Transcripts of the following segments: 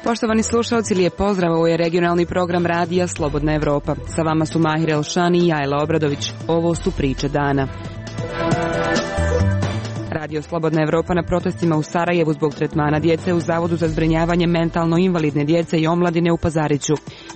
Poštovani slušalci, lijep pozdrav, ovo je regionalni program radija Slobodna Evropa. Sa vama su Mahir Elšani i Jajla Obradović. Ovo su priče dana. Radio Slobodna Evropa na protestima u Sarajevu zbog tretmana djece u Zavodu za zbrinjavanje mentalno invalidne djece i omladine u Pazariću.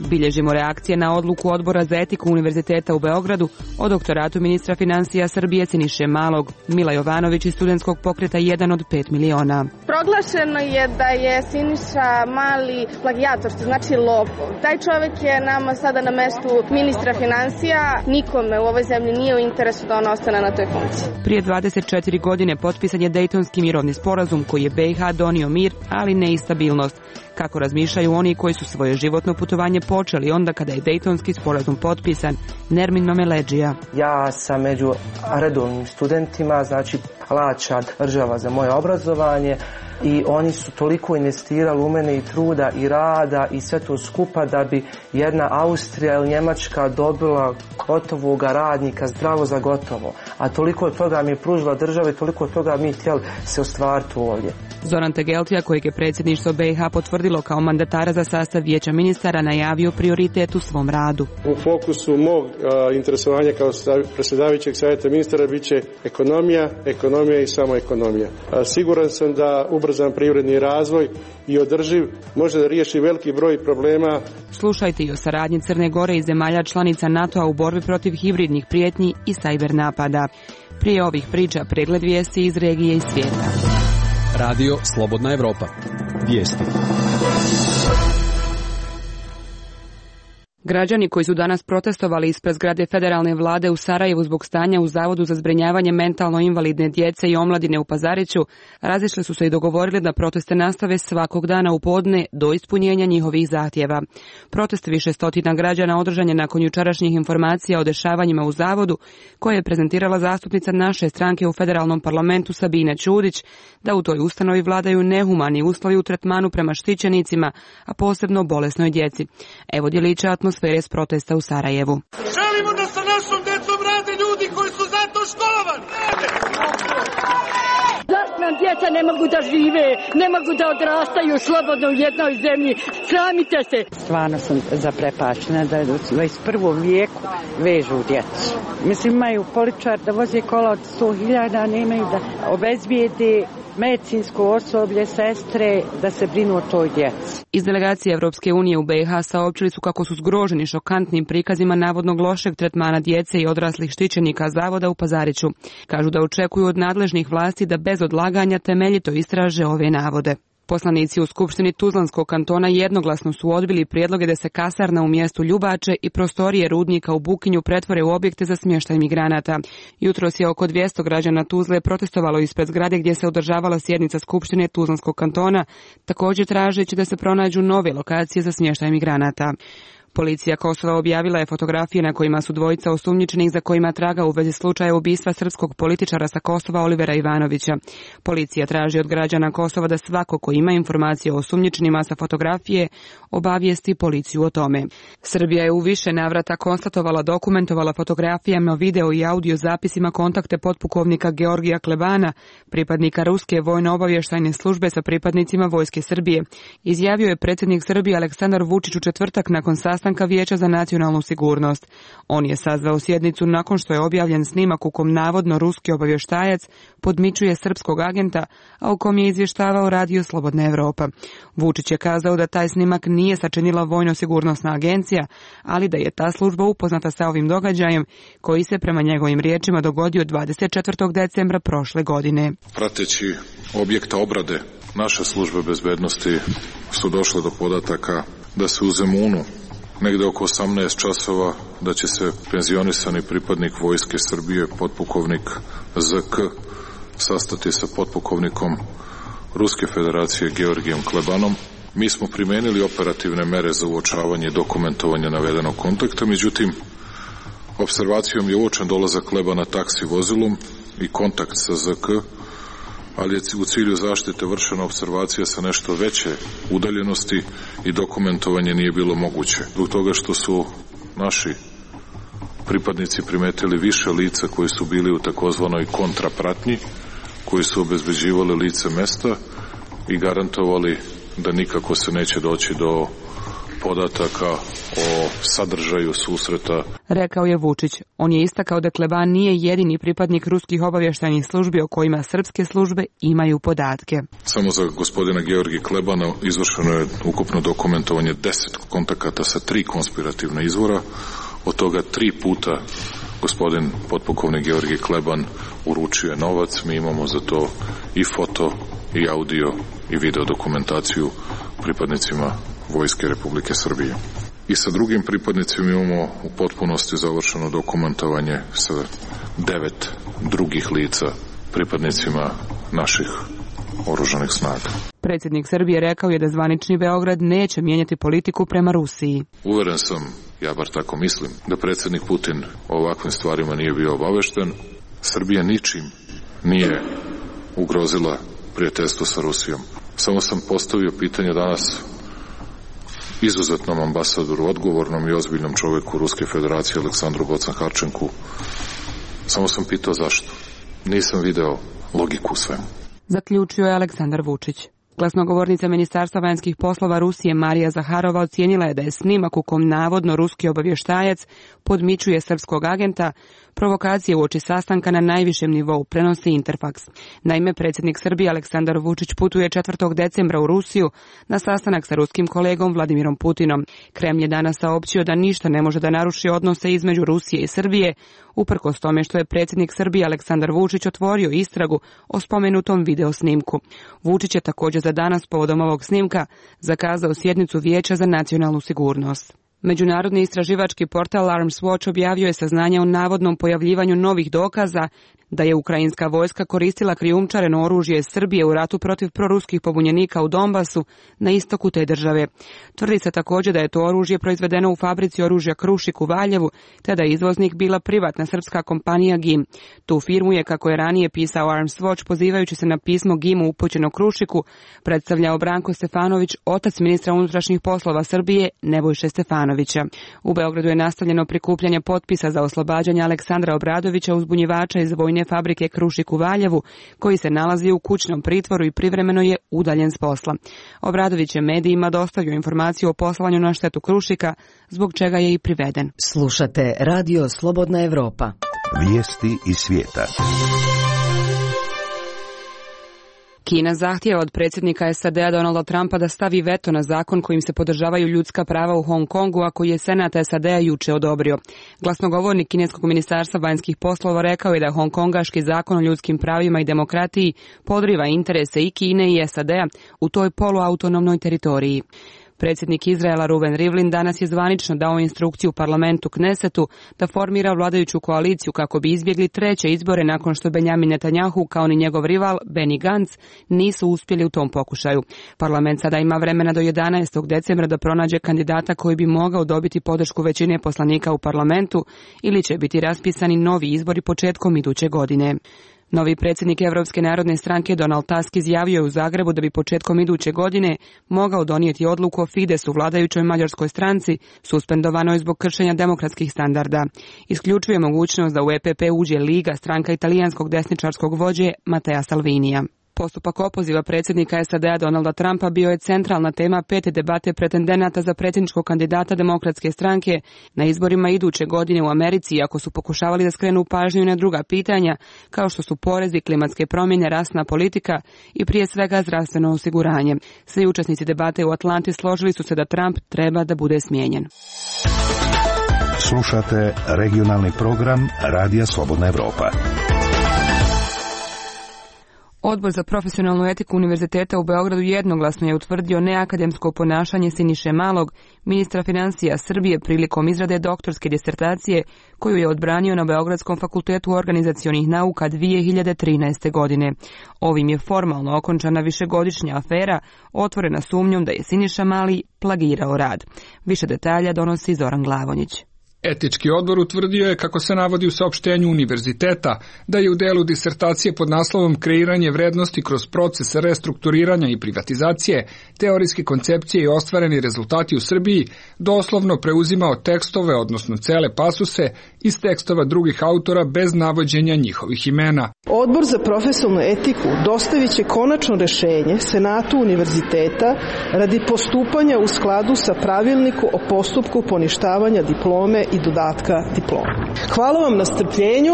Bilježimo reakcije na odluku Odbora za etiku Univerziteta u Beogradu o doktoratu ministra financija Srbije Siniše Malog. Mila Jovanović iz studentskog pokreta 1 od 5 miliona. Proglašeno je da je Siniša Mali plagijator, što znači lopov. Taj čovjek je nama sada na mestu ministra financija. Nikome u ovoj zemlji nije u interesu da on ostane na toj funkciji. Prije 24 godine potpisan je Dejtonski mirovni sporazum koji je BiH donio mir, ali ne i stabilnost. Kako razmišljaju oni koji su svoje životno putovanje počeli onda kada je Dejtonski sporazum potpisan? Nermin Mameleđija. Ja sam među redovnim studentima, znači plaća država za moje obrazovanje i oni su toliko investirali u mene i truda i rada i sve to skupa da bi jedna Austrija ili Njemačka dobila gotovog radnika zdravo za gotovo. A toliko toga mi je pružila država i toliko toga mi htjeli se ostvariti ovdje. Zoran Tegeltija, kojeg je predsjedništvo BiH potvrdilo kao mandatara za sastav vijeća ministara, najavio prioritet u svom radu. U fokusu mog interesovanja kao predsjedavajućeg savjeta ministara bit će ekonomija i samo ekonomija. Siguran sam da ubrzan privredni razvoj i održiv može da riješi veliki broj problema. Slušajte i o saradnji Crne Gore i zemalja članica NATO-a u borbi protiv hibridnih prijetnji i sajber napada. Prije ovih priča pregled vijesti iz regije i svijeta. Radio Slobodna Evropa. Vijesti. Građani koji su danas protestovali ispred zgrade federalne vlade u Sarajevu zbog stanja u Zavodu za zbrinjavanje mentalno invalidne djece i omladine u Pazariću razišli su se i dogovorili da proteste nastave svakog dana u podne do ispunjenja njihovih zahtjeva. Protest više stotina građana održan je nakon jučerašnjih informacija o dešavanjima u Zavodu koje je prezentirala zastupnica naše stranke u federalnom parlamentu Sabina Ćudić, da u toj ustanovi vladaju nehumani uslovi u tretmanu prema štićenicima, a posebno bolesnoj djeci. Evo djelića atmosfere s protesta u Sarajevu. Želimo da sa našom djecom rade ljudi koji su za to školovani. Zašto nam djeca ne mogu da žive, ne mogu da odrastaju slobodno u jednoj zemlji? Sramite se. Stvarno sam zaprepačena da u 21. vijeku vežu djecu. Mislim, imaju poličar da voze kola od 100.000, nemaju da obezbijede medicinsko osoblje, sestre, da se brinu o toj djeci. Iz delegacije Evropske unije u BiH saopćili su kako su zgroženi šokantnim prikazima navodnog lošeg tretmana djece i odraslih štićenika Zavoda u Pazariću. Kažu da očekuju od nadležnih vlasti da bez odlaganja temeljito istraže ove navode. Poslanici u Skupštini Tuzlanskog kantona jednoglasno su odbili prijedloge da se kasarna u mjestu Ljubače i prostorije rudnika u Bukinju pretvore u objekte za smještaj migranata. Jutros je oko 200 građana Tuzle protestovalo ispred zgrade gdje se održavala sjednica Skupštine Tuzlanskog kantona, također tražeći da se pronađu nove lokacije za smještaj migranata. Policija Kosova objavila je fotografije na kojima su dvojica osumnjičenih za kojima traga u vezi slučaja ubistva srpskog političara sa Kosova Olivera Ivanovića. Policija traži od građana Kosova da svako ko ima informacije o osumnjičenima sa fotografije obavijesti policiju o tome. Srbija je u više navrata konstatovala, dokumentovala fotografijama, video i audio zapisima kontakte potpukovnika Georgija Klebana, pripadnika Ruske vojno-obavještajne službe sa pripadnicima Vojske Srbije. Izjavio je predsjednik Srbije Aleksandar Vučić u četvrtak nakon sastanka Vijeća za nacionalnu sigurnost. On je sazvao sjednicu nakon što je objavljen snimak u kom navodno ruski obavještajac podmićuje srpskog agenta, a u kom je izvještavao Radio Slobodna Evropa. Vučić je kazao da taj snimak nije sačinila vojno-sigurnosna agencija, ali da je ta služba upoznata sa ovim događajem koji se prema njegovim riječima dogodio 24. decembra prošle godine. Prateći objekta obrade naše službe bezbednosti su došle do podataka da se u Zemunu negde oko 18 časova da će se penzionisani pripadnik Vojske Srbije, potpukovnik ZK, sastati sa potpukovnikom Ruske federacije Georgijem Klebanom. Mi smo primenili operativne mere za uočavanje i dokumentovanje navedenog kontakta, međutim, observacijom je uočen dolazak Klebana taksi vozilom i kontakt sa ZK, ali je u cilju zaštite vršena observacija sa nešto veće udaljenosti i dokumentovanje nije bilo moguće. Zbog toga što su naši pripadnici primetili više lica koji su bili u takozvanoj kontrapratnji, koji su obezbeđivali lice mesta i garantovali da nikako se neće doći do podataka o sadržaju susreta. Rekao je Vučić. On je istakao da Kleban nije jedini pripadnik ruskih obavještajnih službi o kojima srpske službe imaju podatke. Samo za gospodina Georgija Klebana izvršeno je ukupno dokumentovanje 10 kontakata sa 3 konspirativna izvora, od toga 3 puta gospodin potpukovnik Georgij Kleban uručio je novac. Mi imamo za to i foto, i audio, i video dokumentaciju pripadnicima Vojske Republike Srbije. I sa drugim pripadnicima imamo u potpunosti završeno dokumentovanje sa 9 drugih lica pripadnicima naših oružanih snaga. Predsjednik Srbije rekao je da zvanični Beograd neće mijenjati politiku prema Rusiji. Uveren sam, ja bar tako mislim, da predsjednik Putin o ovakvim stvarima nije bio obavešten. Srbija ničim nije ugrozila prijateljstvo sa Rusijom. Samo sam postavio pitanje danas izuzetnom ambasadoru, odgovornom i ozbiljnom čovjeku Ruske federacije Aleksandru Bocan-Harčenku. Samo sam pitao zašto. Nisam video logiku u svemu. Zaključio je Aleksandar Vučić. Glasnogovornica Ministarstva vanjskih poslova Rusije Marija Zaharova ocijenila je da je snimak u kom navodno ruski obavještajac podmićuje srpskog agenta provokacije uoči sastanka na najvišem nivou, prenosi Interfax. Naime, predsjednik Srbije Aleksandar Vučić putuje 4. decembra u Rusiju na sastanak sa ruskim kolegom Vladimirom Putinom. Kremlj je danas saopćio da ništa ne može da naruši odnose između Rusije i Srbije, uprkos tome što je predsjednik Srbije Aleksandar Vučić otvorio istragu o spomenutom video snimku. Vučić je također za danas povodom ovog snimka zakazao sjednicu Vijeća za nacionalnu sigurnost. Međunarodni istraživački portal Arms Watch objavio je saznanja o navodnom pojavljivanju novih dokaza da je ukrajinska vojska koristila krijumčareno oružje Srbije u ratu protiv proruskih pobunjenika u Donbasu na istoku te države. Tvrdi se također da je to oružje proizvedeno u fabrici oružja Krušik u Valjevu, te da je izvoznik bila privatna srpska kompanija GIM. Tu firmu je, kako je ranije pisao Arms Watch, pozivajući se na pismo GIM-u upućeno Krušiku, predstavljao Branko Stefanović, otac ministra unutrašnjih poslova Srbije Nebojše Stefanovića. U Beogradu je nastavljeno prikupljanje potpisa za oslobađanje Aleksandra Obradovića, uzbunjivača iz vojne fabrike Krušik u Valjevu, koji se nalazi u kućnom pritvoru i privremeno je udaljen s posla. Obradović je medijima dostavio informaciju o poslovanju na štetu Krušika, zbog čega je i priveden. Slušate Radio Slobodna Evropa. Vijesti iz svijeta. Kina zahtijeva od predsjednika SAD-a Donalda Trumpa da stavi veto na zakon kojim se podržavaju ljudska prava u Hong Kongu, a koji je Senat SAD-a juče odobrio. Glasnogovornik kineskog ministarstva vanjskih poslova rekao je da hongkongaški zakon o ljudskim pravima i demokratiji podriva interese i Kine i SAD-a u toj poluautonomnoj teritoriji. Predsjednik Izraela Ruven Rivlin danas je zvanično dao instrukciju parlamentu Knesetu da formira vladajuću koaliciju kako bi izbjegli treće izbore nakon što Benjamin Netanjahu kao ni njegov rival Benny Gantz nisu uspjeli u tom pokušaju. Parlament sada ima vremena do 11. decembra da pronađe kandidata koji bi mogao dobiti podršku većine poslanika u parlamentu ili će biti raspisani novi izbori početkom iduće godine. Novi predsjednik Evropske narodne stranke Donald Tusk izjavio je u Zagrebu da bi početkom iduće godine mogao donijeti odluku o Fidesu, vladajućoj mađarskoj stranci, suspendovanoj zbog kršenja demokratskih standarda. Isključuje mogućnost da u EPP uđe Liga, stranka italijanskog desničarskog vođe Mattea Salvinija. Postupak opoziva predsjednika SAD-a Donalda Trumpa bio je centralna tema 5. debate pretendenata za predsjedničkog kandidata demokratske stranke na izborima iduće godine u Americi, iako su pokušavali da skrenu pažnju na druga pitanja, kao što su porezi, klimatske promjene, rasna politika i prije svega zdravstveno osiguranje. Svi učesnici debate u Atlanti složili su se da Trump treba da bude smijenjen. Slušate regionalni program Radija Slobodna Evropa. Odbor za profesionalnu etiku Univerziteta u Beogradu jednoglasno je utvrdio neakademsko ponašanje Siniše Malog, ministra financija Srbije, prilikom izrade doktorske disertacije koju je odbranio na Beogradskom fakultetu organizacionih nauka 2013. godine. Ovim je formalno okončana višegodišnja afera, otvorena sumnjom da je Siniša Mali plagirao rad. Više detalja donosi Zoran Glavonjić. Etički odbor utvrdio je, kako se navodi u saopštenju univerziteta, da je u delu disertacije pod naslovom Kreiranje vrednosti kroz proces restrukturiranja i privatizacije, teorijske koncepcije i ostvareni rezultati u Srbiji doslovno preuzimao tekstove, odnosno cele pasuse, iz tekstova drugih autora bez navođenja njihovih imena. Odbor za profesionalnu etiku dostavit će konačno rešenje Senatu univerziteta radi postupanja u skladu sa pravilniku o postupku poništavanja diplome i dodatka diplome. Hvala vam na strpljenju,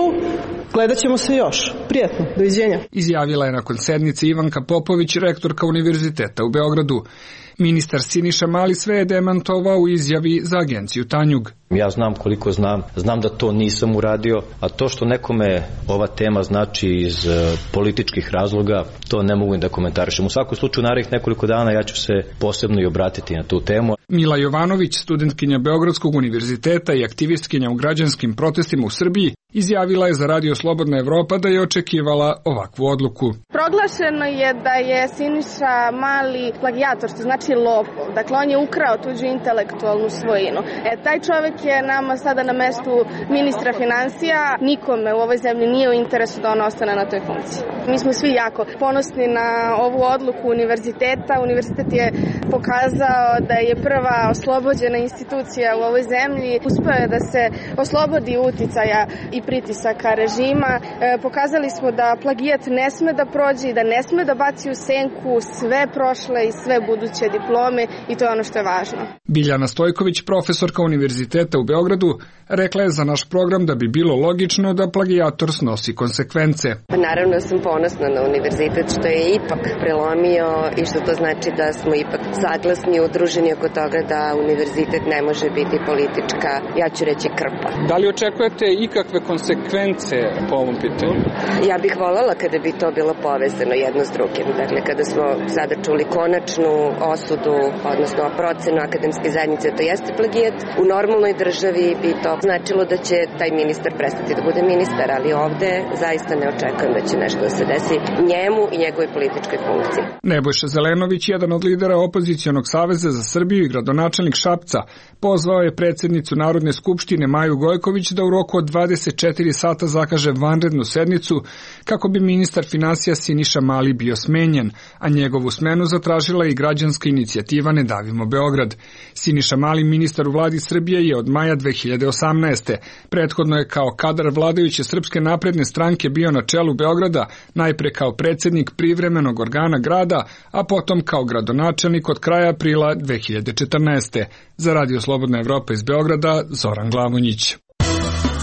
gledat ćemo se još. Prijatno, doviđenja. Izjavila je nakon sednice Ivanka Popović, rektorka univerziteta u Beogradu. Ministar Siniša Mali sve je demantovao u izjavi za agenciju Tanjug. Ja znam koliko znam da to nisam uradio, a to što nekome ova tema znači iz političkih razloga, to ne mogu da komentarišem. U svakom slučaju, narednih nekoliko dana ja ću se posebno i obratiti na tu temu. Mila Jovanović, studentkinja Beogradskog univerziteta i aktivistkinja u građanskim protestima u Srbiji, izjavila je za Radio Slobodna Evropa da je očekivala ovakvu odluku. Proglašeno je da je Siniša Mali plagijator, što znači lopov. Dakle, on je ukrao tuđu intelektualnu svojinu. Taj čovek je nama sada na mestu ministra finansija. Nikome u ovoj zemlji nije u interesu da on ostane na toj funkciji. Mi smo svi jako ponosni na ovu odluku univerziteta. Univerzitet je pokazao da je prva oslobođena institucija u ovoj zemlji. Uspeo je da se oslobodi uticaja i pritisaka režima. Pokazali smo da plagijat ne sme da prođe i da ne sme da baci u senku sve prošle i sve buduće diplome, i to je ono što je važno. Biljana Stojković, profesorka univerziteta u Beogradu, rekla je za naš program da bi bilo logično da plagijator snosi konsekvence. Naravno sam ponosna na univerzitet što je ipak prelomio i što to znači da smo ipak saglasni, udruženi oko toga da univerzitet ne može biti politička, ja ću reći, krpa. Da li očekujete ikakve konsekvence po ovom pitanju? Ja bih voljela kada bi to bilo povezano jedno s drugim. Dakle, kada smo sada čuli konačnu osudu, odnosno procenu akademske zajednice, to jeste plagijat. U normalnoj državi bi to značilo da će taj ministar prestati da bude ministar, ali ovde zaista ne očekujem da će nešto da se desi njemu i njegovoj političkoj funkciji. Nebojša Zelenović, jedan od lidera Opozicionog saveza za Srbiju i gradonačelnik Šapca, pozvao je predsjednicu Narodne skupštine Maju Gojković da u roku od 24 sata zakaže vanrednu sednicu kako bi ministar finansija Siniša Mali bio smenjen, a njegovu smenu zatražila i građanska inicijativa Ne davimo Beograd. Siniša Mali, ministar u vladi Srbije, je od maja 2018. Prethodno je kao kadar vladajuće Srpske napredne stranke bio na čelu Beograda, najpre kao predsjednik privremenog organa grada, a potom kao gradonačelnik od kraja aprila 2014. Za Radio Slobodna Evropa iz Beograda, Zoran Glavonjić.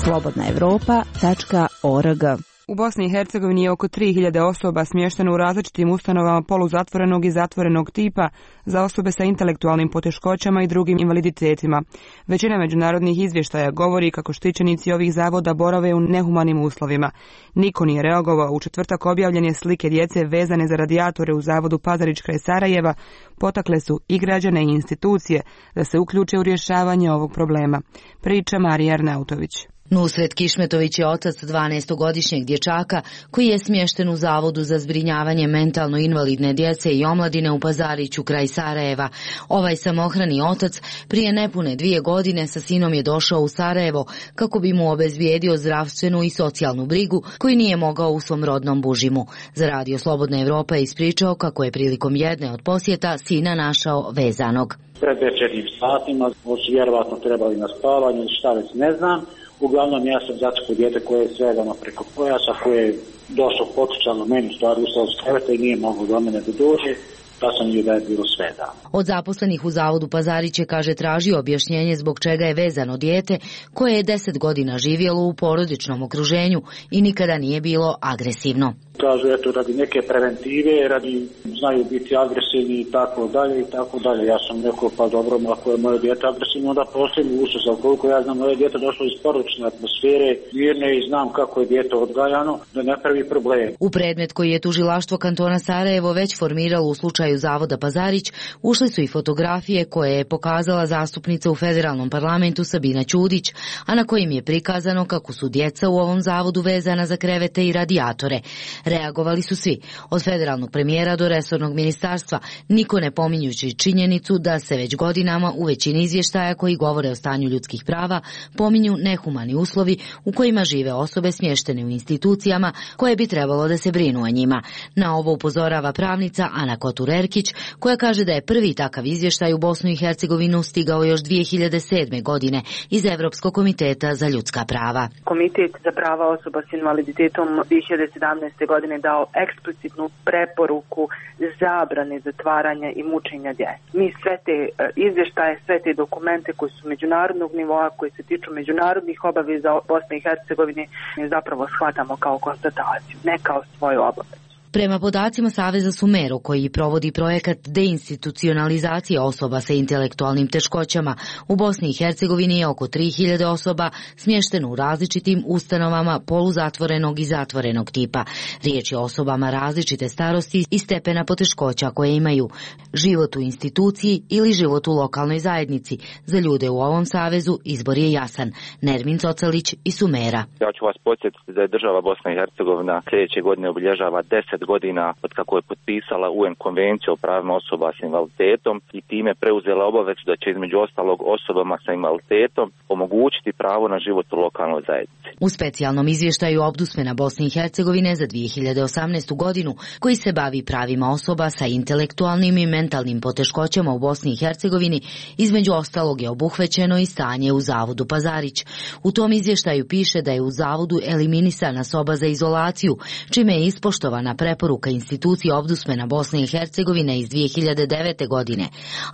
slobodnaevropa.org. U Bosni i Hercegovini je oko 3000 osoba smješteno u različitim ustanovama poluzatvorenog i zatvorenog tipa za osobe sa intelektualnim poteškoćama i drugim invaliditetima. Većina međunarodnih izvještaja govori kako štićenici ovih zavoda borave u nehumanim uslovima. Niko nije reagovao. U četvrtak objavljene slike djece vezane za radijatore u zavodu Pazarić kraj Sarajeva potakle su i građane i institucije da se uključe u rješavanje ovog problema. Priča Marija Arnautović. Nusret Kišmetović je otac 12-godišnjeg dječaka koji je smješten u Zavodu za zbrinjavanje mentalno invalidne djece i omladine u Pazariću kraj Sarajeva. Ovaj samohrani otac prije nepune 2 godine sa sinom je došao u Sarajevo kako bi mu obezbijedio zdravstvenu i socijalnu brigu koju nije mogao u svom rodnom Bužimu. Za Radio Slobodna Evropa je ispričao kako je prilikom jedne od posjeta sina našao vezanog. Pred večernjim satima su vjerovatno trebali na spavanje, šta već ne znam. Uglavnom ja sam zatekao dijete koje je svedano preko pojasa, koje je došao potičano meni, stvar ustao s kreveta i nije mogao do mene da dođe, pa sam vidio da je bilo svedano. Od zaposlenih u Zavodu Pazarić je, kaže, tražio objašnjenje zbog čega je vezano dijete koje je 10 godina živjelo u porodičnom okruženju i nikada nije bilo agresivno. Kažu, eto, radi neke preventive, znaju biti agresivni i tako dalje i tako dalje. Ja sam rekao, pa dobro, ako je moje dijete agresivno, onda postoji ušao. Koliko ja znam, moje dijete došlo iz porodične atmosfere, mirne, i znam kako je dijete odgajano, da ne pravi problem. U predmet koji je tužilaštvo kantona Sarajevo već formiralo u slučaju Zavoda Pazarić, ušli su i fotografije koje je pokazala zastupnica u federalnom parlamentu Sabina Ćudić, a na kojim je prikazano kako su djeca u ovom zavodu vezana za krevete i radijatore. Reagovali su svi, od federalnog premijera do resornog ministarstva, niko ne pominjući činjenicu da se već godinama u većini izvještaja koji govore o stanju ljudskih prava pominju nehumani uslovi u kojima žive osobe smještene u institucijama koje bi trebalo da se brinu o njima. Na ovo upozorava pravnica Ana Kotur-Erkić, koja kaže da je prvi takav izvještaj u Bosnu i Hercegovinu stigao još 2007. godine iz Evropskog komiteta za ljudska prava. Komitet za prava osoba s invaliditetom 2017. godine dao eksplicitnu preporuku zabrane zatvaranja i mučenja djece. Mi sve te izvještaje, sve te dokumente koji su međunarodnog nivoa, koji se tiču međunarodnih obaveza Bosne i Hercegovine, zapravo shvatamo kao konstataciju, ne kao svoju obavezu. Prema podacima Saveza Sumero, koji provodi projekat deinstitucionalizacije osoba sa intelektualnim teškoćama, u Bosni i Hercegovini je oko 3000 osoba smješteno u različitim ustanovama poluzatvorenog i zatvorenog tipa. Riječ je o osobama različite starosti i stepena poteškoća koje imaju život u instituciji ili život u lokalnoj zajednici. Za ljude u ovom savezu izbor je jasan. Nermin Cocalić iz Sumera. Ja ću vas podsjetiti da je država Bosna i Hercegovina sljedeće godine obilježava 10 godina od kako je potpisala UN konvenciju o pravima osoba s invaliditetom i time preuzela obavezu da će između ostalog osobama sa invaliditetom omogućiti pravo na život u lokalnoj zajednici. U specijalnom izvještaju Ombudsmana Bosne i Hercegovine za 2018. godinu, koji se bavi pravima osoba sa intelektualnim i mentalnim poteškoćama u Bosni i Hercegovini, između ostalog je obuhvaćeno i stanje u Zavodu Pazarić. U tom izvještaju piše da je u Zavodu eliminisana soba za izolaciju, čime je ispoštovana preporuka institucije Ombudsmana Bosne i Hercegovine iz 2009. godine,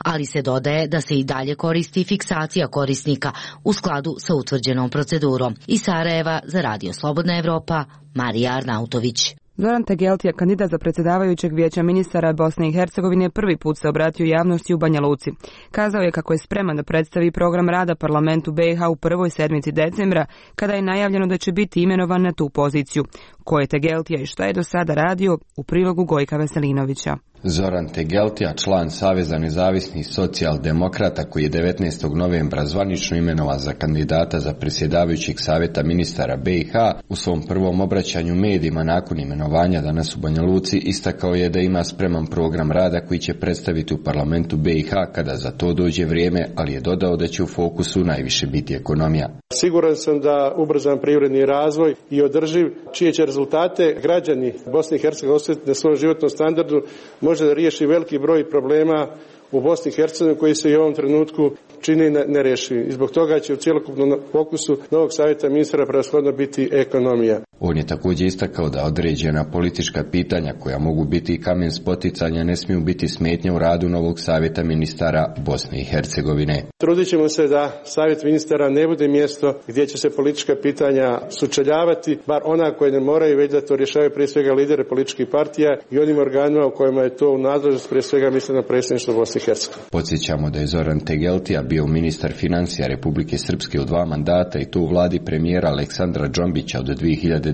ali se dodaje da se i dalje koristi fiksacija korisnika u skladu sa utvrđenom procedurom. Iz Sarajeva za Radio Slobodna Evropa, Marija Arnautović. Zoran Tegeltija, kandidat za predsjedavajućeg vijeća ministara Bosne i Hercegovine, prvi put se obratio javnosti u Banja Luci. Kazao je kako je spreman da predstavi program rada parlamentu BiH u prvoj sedmici decembra, kada je najavljeno da će biti imenovan na tu poziciju. Ko je Tegeltija i šta je do sada radio, u prilogu Gojka Veselinovića. Zoran Tegeltija, član Saveza nezavisnih socijaldemokrata, koji je 19. novembra zvanično imenovan za kandidata za predsjedavajućeg savjeta ministara BiH, u svom prvom obraćanju medijima nakon imenovanja danas u Banja Luci istakao je da ima spreman program rada koji će predstaviti u parlamentu BiH kada za to dođe vrijeme, ali je dodao da će u fokusu najviše biti ekonomija. Siguran sam da ubrzan privredni razvoj i održiv, čije će rezultate građani Bosne i Hercegovine osjetiti na svom životnom standardu, može da riješi veliki broj problema u Bosni i Hercegovini koji se i u ovom trenutku čini nerješivi. I zbog toga će u cjelokupnom fokusu novog savjeta ministara prevashodno biti ekonomija. On je također istakao da određena politička pitanja koja mogu biti i kamen spoticanja ne smiju biti smetnja u radu novog savjeta ministara Bosne i Hercegovine. Trudit ćemo se da savjet ministara ne bude mjesto gdje će se politička pitanja sučeljavati, bar ona koje ne moraju, već da to rješavaju prije svega lidere političkih partija i onim organima u kojima je to u nadležnost, prije svega mislim na predsjedništvo Bosne i Hercegovine. Podsjećamo da je Zoran Tegeltija bio ministar financija Republike Srpske u 2 mandata i to u vladi premijera Aleksandra Džombića od 2010.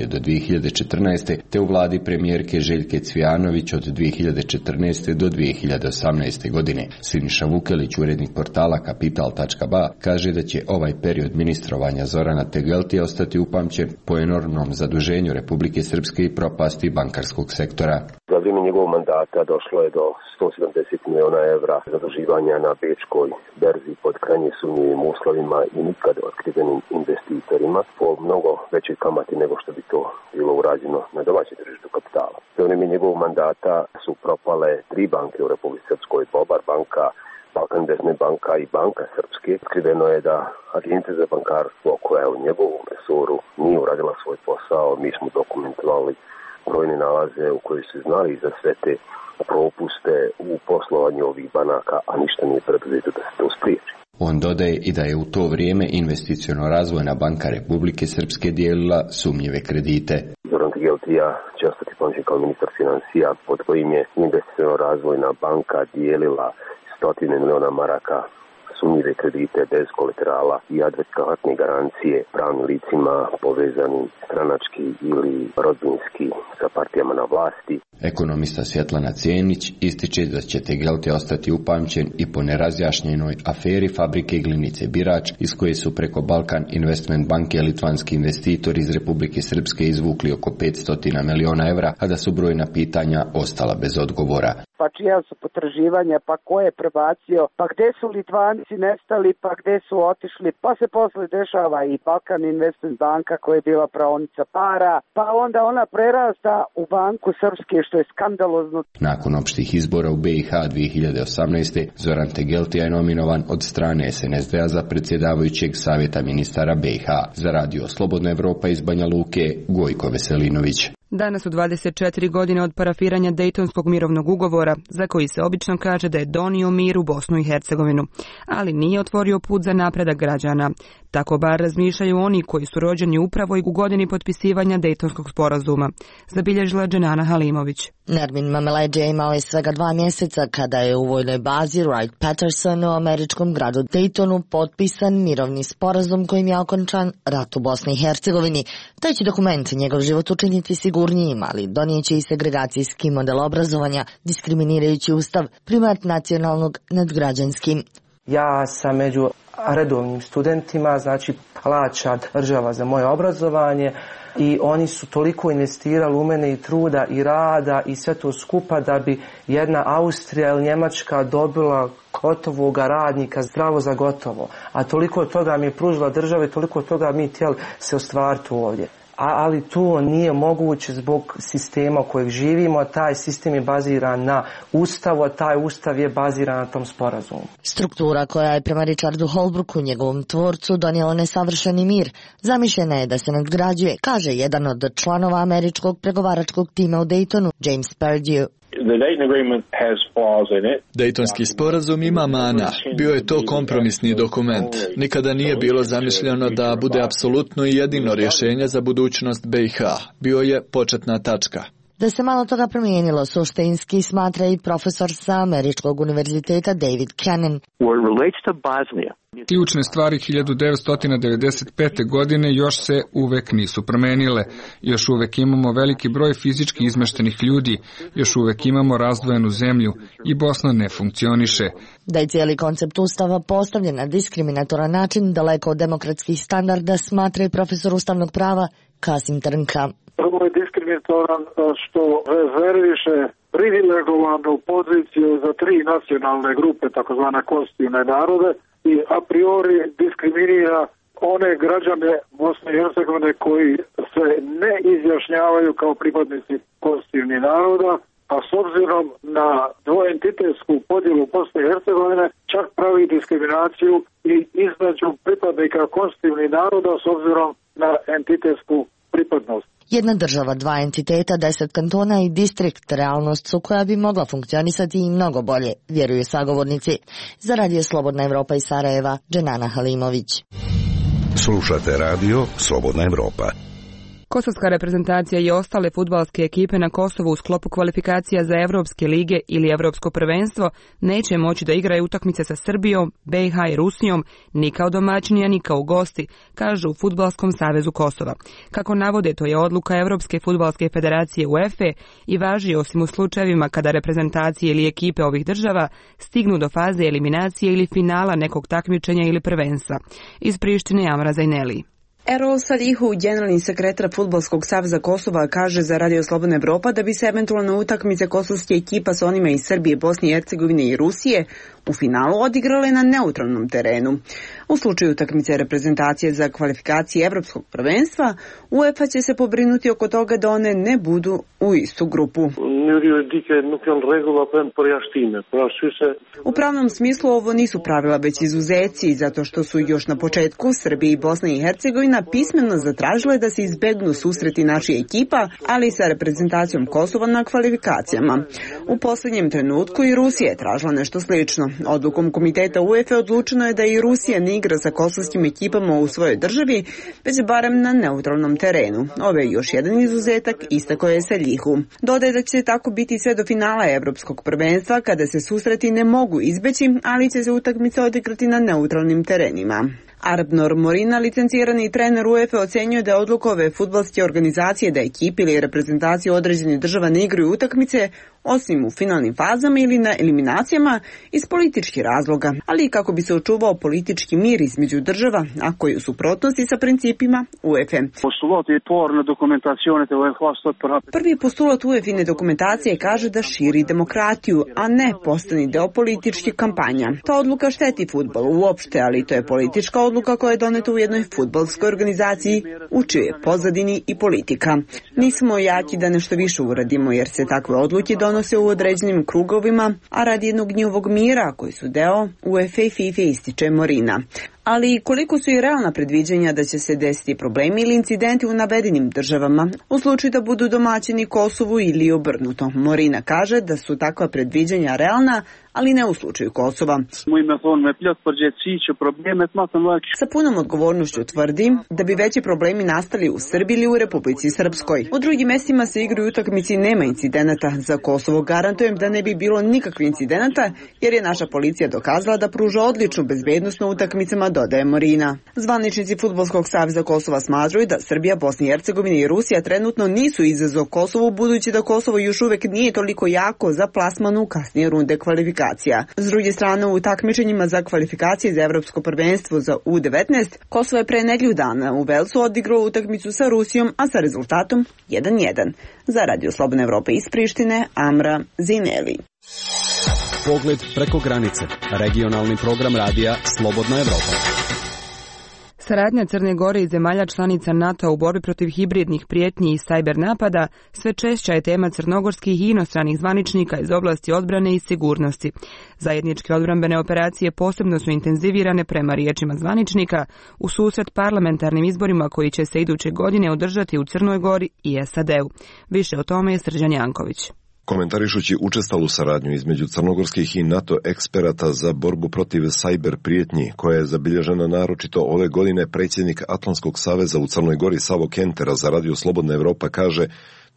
do 2014. te u vladi premijerke Željke Cvijanović od 2014. do 2018. godine. Siniša Vukelić, urednik portala Kapital.ba, kaže da će ovaj period ministrovanja Zorana Tegeltija ostati upamćen po enormnom zaduženju Republike Srpske i propasti bankarskog sektora. Za vrijeme njegovog mandata došlo je do 170 miliona evra zaduživanja na bečkoj berzi pod krajnje sumnjivim uslovima i nikad otkrivenim investitorima po mnogo većoj kamati nego što bi to bilo urađeno na domaćem tržištu kapitala. Za vrijeme njegovog mandata su propale 3 banke u Republici Srpskoj, Bobar banka, Balkan Investment banka i Banka Srpske. Otkriveno je da Agencija za bankarstvo, koja je u njegovom resoru nije uradila svoj posao. Mi smo dokumentovali brojne nalaze u kojoj se znali za sve te propuste u poslovanju ovih banaka, a ništa nije predviđeno da se to spriječi. On dodaje i da je u to vrijeme Investiciono-razvojna banka Republike Srpske dijelila sumnjive kredite. Zoran Tegeltija će ostati pamćen kao ministar financija, pod kojim je Investiciono-razvojna banka dijelila 100 miliona maraka sumnjive kredite bez kolaterala i adekvatne garancije pravnim licima povezanim stranački ili rodbinski sa partijama na vlasti. Ekonomista Svjetlana Cijenić ističe da će Tegelti ostati upamćen i po nerazjašnjenoj aferi fabrike Glinice Birač, iz koje su preko Balkan Investment banke litvanski investitori iz Republike Srpske izvukli oko 500 miliona evra, a da su brojna pitanja ostala bez odgovora. Pa čija su potraživanja, pa ko je prebacio, pa gde su Litvanci nestali, pa gde su otišli, pa se posle dešava i Balkan Investment banka koja je bila praonica para, pa onda ona prerasta u banku Srpske, što je skandalozno. Nakon opštih izbora u BiH 2018. Zoran Tegeltija je nominovan od strane SNSD-a za predsjedavajućeg savjeta ministara BiH. Za radio Slobodna Evropa iz Banja Luke, Gojko Veselinović. Danas su 24 godine od parafiranja Dejtonskog mirovnog ugovora, za koji se obično kaže da je donio mir u Bosnu i Hercegovinu, ali nije otvorio put za napredak građana. Tako bar razmišljaju oni koji su rođeni upravo i u godini potpisivanja Dejtonskog sporazuma, zabilježila Dženana Halimović. Nermin Mameleđe imao je svega 2 mjeseca kada je u vojnoj bazi Wright-Patterson u američkom gradu Daytonu potpisan mirovni sporazum kojim je okončan rat u Bosni i Hercegovini. Taj će dokument njegov život učiniti sigurnijim, ali donijeće i segregacijski model obrazovanja, diskriminirajući ustav, primat nacionalnog nad građanskim. Ja sam među redovnim studentima, znači plaća država za moje obrazovanje i oni su toliko investirali u mene i truda i rada i sve to skupa da bi jedna Austrija ili Njemačka dobila gotovog radnika zdravo za gotovo. A toliko toga mi je pružila država i toliko toga mi htjeli se ostvariti ovdje. Ali to nije moguće zbog sistema u kojeg živimo. Taj sistem je baziran na ustavu, a taj ustav je baziran na tom sporazumu. Struktura koja je prema Richardu Holbrooku, njegovom tvorcu, donijela nesavršeni mir, zamišljena je da se nadgrađuje, kaže jedan od članova američkog pregovaračkog tima u Daytonu, James Perdue. Dejtonski sporazum ima mana. Bio je to kompromisni dokument. Nikada nije bilo zamišljeno da bude apsolutno i jedino rješenje za budućnost BiH. Bio je početna tačka. Da se malo toga promijenilo, suštinski smatra i profesor sa Američkog univerziteta David Cannon. Ključne stvari 1995. godine još se uvek nisu promenile. Još uvek imamo veliki broj fizički izmeštenih ljudi, još uvek imamo razdvojenu zemlju i Bosna ne funkcioniše. Da je cijeli koncept ustava postavljen na diskriminatoran način, daleko od demokratskih standarda, smatra i profesor ustavnog prava Kasim Trnka. Prvo je diskriminatoran što rezerviše privilegovanu poziciju za 3 nacionalne grupe, takozvane konstitutivne narode, i a priori diskriminira one građane Bosne i Hercegovine koji se ne izjašnjavaju kao pripadnici konstitutivnih naroda, a s obzirom na dvoentitetsku podjelu Bosne i Hercegovine čak pravi diskriminaciju i između pripadnika konstitutivnih naroda s obzirom na entitetsku pripadnost. Jedna država, 2 entiteta, 10 kantona i distrikt, realnost su koja bi mogla funkcionisati i mnogo bolje, vjeruju sagovornici. Za radio Slobodna Evropa iz Sarajeva, Dženana Halimović. Slušate radio Slobodna Evropa. Kosovska reprezentacija i ostale fudbalske ekipe na Kosovu u sklopu kvalifikacija za Evropske lige ili Evropsko prvenstvo neće moći da igraju utakmice sa Srbijom, BiH i Rusijom, ni kao domaćini, ni kao gosti, kažu u Fudbalskom savezu Kosova. Kako navode, to je odluka Evropske fudbalske federacije UEFA i važi osim u slučajevima kada reprezentacije ili ekipe ovih država stignu do faze eliminacije ili finala nekog takmičenja ili prvenstva. Iz Prištine Amra Zajneli. Erol Salihu, generalni sekretar Fudbalskog saveza Kosova, kaže za radio Slobodna Evropa da bi se eventualno utakmice kosovske ekipa sa onima iz Srbije, Bosne i Hercegovine i Rusije u finalu odigrale na neutralnom terenu. U slučaju utakmice reprezentacije za kvalifikacije Evropskog prvenstva, UEFA će se pobrinuti oko toga da one ne budu u istu grupu. U pravnom smislu ovo nisu pravila već izuzeci, zato što su još na početku Srbija i Bosna i Hercegovina pismeno zatražile da se izbegnu susreti naših ekipa, ali i sa reprezentacijom Kosova na kvalifikacijama. U posljednjem trenutku i Rusija je tražila nešto slično. Odlukom komiteta UEFA odlučeno je da i Rusija ne igra sa kosovskim ekipama u svojoj državi, već barem na neutralnom terenu. Ovo je još jedan izuzetak, istakao je Saljihu. Dodaje da će tako biti sve do finala Evropskog prvenstva, kada se susreti ne mogu izbeći, ali će se utakmica odigrati na neutralnim terenima. Arbnor Morina, licencirani trener UEFA, ocenjuje da je odluka ove fudbalske organizacije da ekipi ili reprezentacije određenih država ne igraju utakmice, osim u finalnim fazama ili na eliminacijama, iz političkih razloga, ali i kako bi se očuvao politički mir između država, a koji u suprotnosti sa principima UEFA. Prvi postulat UEFA-ine dokumentacije kaže da širi demokratiju, a ne postani deo političke kampanja. Ta odluka šteti fudbalu uopšte, ali to je politička odluka koja je doneta u jednoj fudbalskoj organizaciji, u čijoj pozadini i politika. Nismo jaki da nešto više uradimo, jer se takve odluke donose u određenim krugovima, a radi jednog njihovog mira koji su deo UEFA i FIFA, ističe Morina. Ali koliko su i realna predviđanja da će se desiti problemi ili incidenti u navedenim državama, u slučaju da budu domaćini Kosovu ili obrnuto. Morina kaže da su takva predviđanja realna, ali ne u slučaju Kosova. Sa punom odgovornošću tvrdi da bi veći problemi nastali u Srbiji ili u Republici Srpskoj. U drugim mestima se igraju utakmici, nema incidenata. Za Kosovo garantujem da ne bi bilo nikakvih incidenata, jer je naša policija dokazala da pruža odličnu bezbednost na utakmicama, dodaje Morina. Zvaničnici Fudbalskog saveza Kosova smatraju da Srbija, Bosna i Hercegovina i Rusija trenutno nisu izazov Kosovu, budući da Kosovo još uvek nije toliko jako za plasman u kasnije runde kvalifikacija. S druge strane, u takmičenjima za kvalifikacije za Evropsko prvenstvo za U19, Kosovo je pre nedelju dana u Velsu odigrao utakmicu sa Rusijom, a sa rezultatom 1:1. Za Radio Slobodna Evropa iz Prištine, Amra Zineli. Pogled preko granice. Regionalni program radija Slobodna Evropa. Saradnja Crne Gore i zemalja članica NATO u borbi protiv hibridnih prijetnji i sajber napada sve češća je tema crnogorskih i inostranih zvaničnika iz oblasti odbrane i sigurnosti. Zajedničke odbrambene operacije posebno su intenzivirane, prema riječima zvaničnika, u susret parlamentarnim izborima koji će se iduće godine održati u Crnoj Gori i SAD-u. Više o tome je Srđan Janković. Komentarišući učestalu saradnju između crnogorskih i NATO eksperata za borbu protiv sajber prijetnji, koja je zabilježena naročito ove godine, predsjednik Atlantskog saveza u Crnoj Gori Savo Kentera za Radio Slobodna Evropa kaže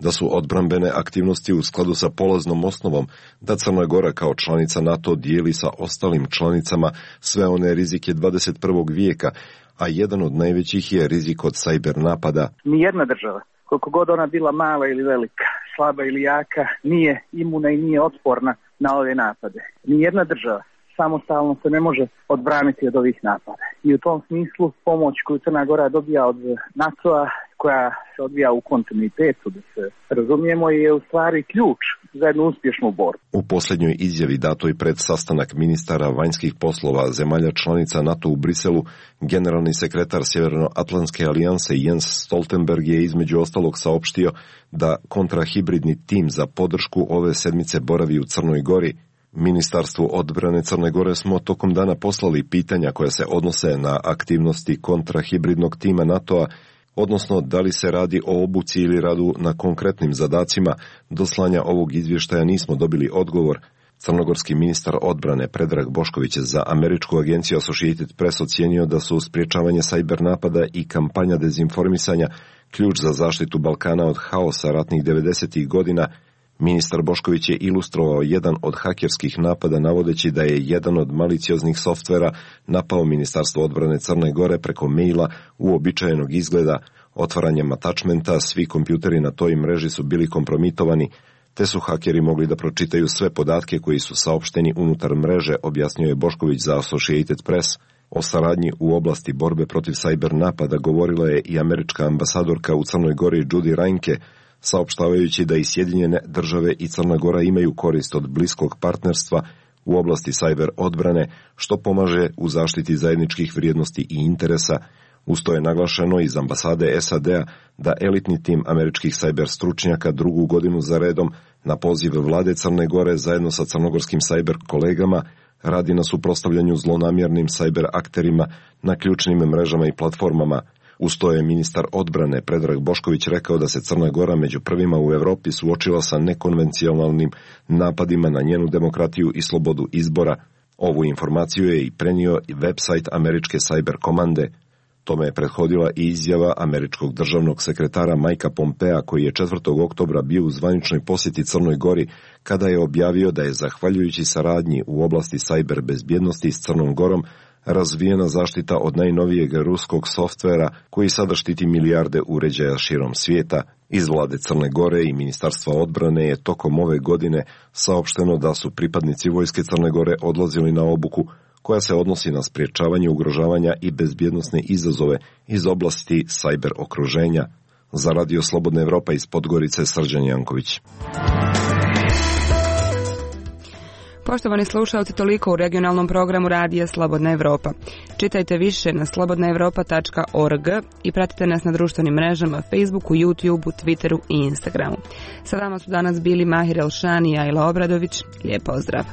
da su odbrambene aktivnosti u skladu sa polaznom osnovom da Crna Gora kao članica NATO dijeli sa ostalim članicama sve one rizike 21. vijeka, a jedan od najvećih je rizik od sajber napada. Nijedna država, koliko god ona bila mala ili velika, slaba ili jaka, nije imuna i nije otporna na ove napade. Nijedna država samostalno se ne može odbraniti od ovih napada. I u tom smislu pomoć koju Crna Gora dobija od NATO-a, koja se odvija u kontinuitetu, da se razumijemo, je u stvari ključ za jednu uspješnu borbu. U posljednjoj izjavi datoj pred sastanak ministara vanjskih poslova zemalja članica NATO u Briselu, generalni sekretar Sjevernoatlantske alijanse Jens Stoltenberg je između ostalog saopštio da kontrahibridni tim za podršku ove sedmice boravi u Crnoj Gori. Ministarstvu odbrane Crne Gore smo tokom dana poslali pitanja koja se odnose na aktivnosti kontrahibridnog tima NATO-a, odnosno da li se radi o obuci ili radu na konkretnim zadacima. Do slanja ovog izvještaja nismo dobili odgovor. Crnogorski ministar odbrane Predrag Bošković za američku agenciju Associated Press ocijenio da su sprječavanje sajber napada i kampanja dezinformisanja ključ za zaštitu Balkana od haosa ratnih 90. godina. Ministar Bošković je ilustrovao jedan od hakerskih napada navodeći da je jedan od malicioznih softvera napao Ministarstvo odbrane Crne Gore preko maila uobičajenog izgleda. Otvaranjem attachmenta svi kompjuteri na toj mreži su bili kompromitovani, te su hakeri mogli da pročitaju sve podatke koji su saopšteni unutar mreže, objasnio je Bošković za Associated Press. O saradnji u oblasti borbe protiv sajber napada govorila je i američka ambasadorka u Crnoj Gori Judy Reinke, saopštavajući da i Sjedinjene države i Crna Gora imaju korist od bliskog partnerstva u oblasti sajber odbrane, što pomaže u zaštiti zajedničkih vrijednosti i interesa. Usto je naglašeno iz ambasade SAD-a da elitni tim američkih sajber stručnjaka drugu godinu za redom na poziv vlade Crne Gore zajedno sa crnogorskim sajber kolegama radi na suprotstavljanju zlonamjernim sajber akterima na ključnim mrežama i platformama. Usto je ministar odbrane Predrag Bošković rekao da se Crna Gora među prvima u Evropi suočila sa nekonvencionalnim napadima na njenu demokratiju i slobodu izbora. Ovu informaciju je i prenio website američke cyber komande. Tome je prethodila i izjava američkog državnog sekretara Mikea Pompea, koji je 4. oktobra bio u zvaničnoj posjeti Crnoj Gori, kada je objavio da je, zahvaljujući saradnji u oblasti cyber bezbjednosti s Crnom Gorom, razvijena zaštita od najnovijeg ruskog softvera koji sada štiti milijarde uređaja širom svijeta. Iz vlade Crne Gore i Ministarstva odbrane je tokom ove godine saopšteno da su pripadnici vojske Crne Gore odlazili na obuku koja se odnosi na sprječavanje ugrožavanja i bezbjednosne izazove iz oblasti cyber okruženja. Za Radio Slobodna Evropa iz Podgorice, Srđan Janković. Poštovani slušalci, toliko u regionalnom programu Radija Slobodna Evropa. Čitajte više na slobodnaevropa.org i pratite nas na društvenim mrežama Facebooku, YouTubeu, Twitteru i Instagramu. Sa vama su danas bili Mahir Elšan i Ajla Obradović. Lijep pozdrav!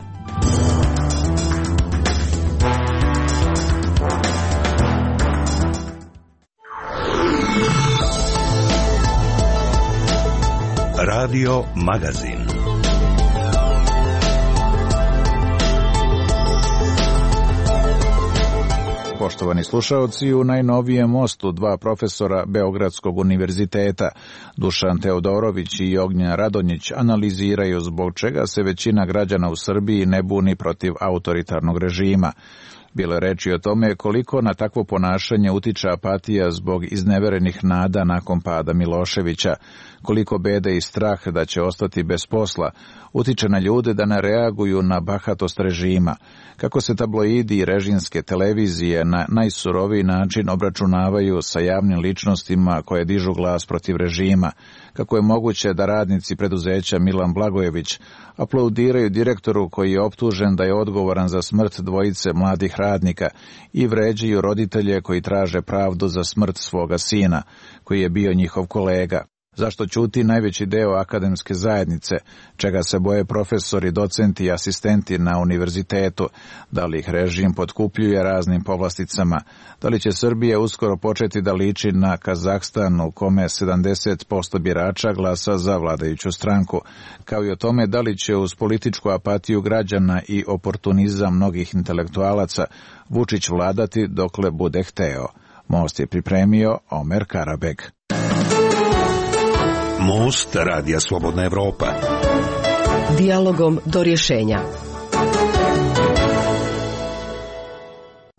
Radio Magazin. Poštovani slušaoci, u najnovijem mostu dva profesora Beogradskog univerziteta, Dušan Teodorović i Ognjen Radonjić, analiziraju zbog čega se većina građana u Srbiji ne buni protiv autoritarnog režima. Bilo je reči o tome koliko na takvo ponašanje utiče apatija zbog izneverenih nada nakon pada Miloševića, koliko bede i strah da će ostati bez posla utiče na ljude da ne reaguju na bahatost režima, kako se tabloidi i režimske televizije na najsuroviji način obračunavaju sa javnim ličnostima koje dižu glas protiv režima, kako je moguće da radnici preduzeća Milan Blagojević aplaudiraju direktoru koji je optužen da je odgovoran za smrt dvojice mladih radnika i vređaju roditelje koji traže pravdu za smrt svoga sina, koji je bio njihov kolega. Zašto ćuti najveći deo akademske zajednice, čega se boje profesori, docenti i asistenti na univerzitetu, da li ih režim potkupljuje raznim povlasticama, da li će Srbija uskoro početi da liči na Kazahstan u kome 70% birača glasa za vladajuću stranku, kao i o tome da li će uz političku apatiju građana i oportunizam mnogih intelektualaca Vučić vladati dokle bude hteo. Most je pripremio Omer Karabeg. Most Radija Slobodna Evropa. Dijalogom do rješenja.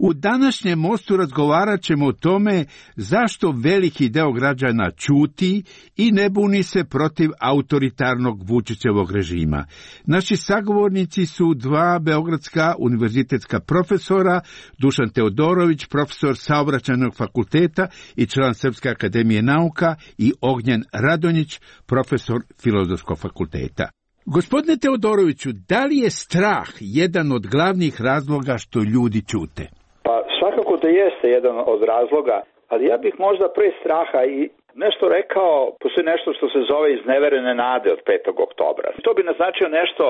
U današnjem mostu razgovarat ćemo o tome zašto veliki deo građana ćuti i ne buni se protiv autoritarnog Vučićevog režima. Naši sagovornici su dva beogradska univerzitetska profesora, Dušan Teodorović, profesor Saobraćajnog fakulteta i član Srpske akademije nauka, i Ognjen Radonjić, profesor Filozofskog fakulteta. Gospodine Teodoroviću, da li je strah jedan od glavnih razloga što ljudi ćute? Pa svakako da jeste jedan od razloga, ali ja bih možda pre straha i nešto rekao, postoji nešto što se zove izneverene nade od 5. oktobra. To bi naznačio nešto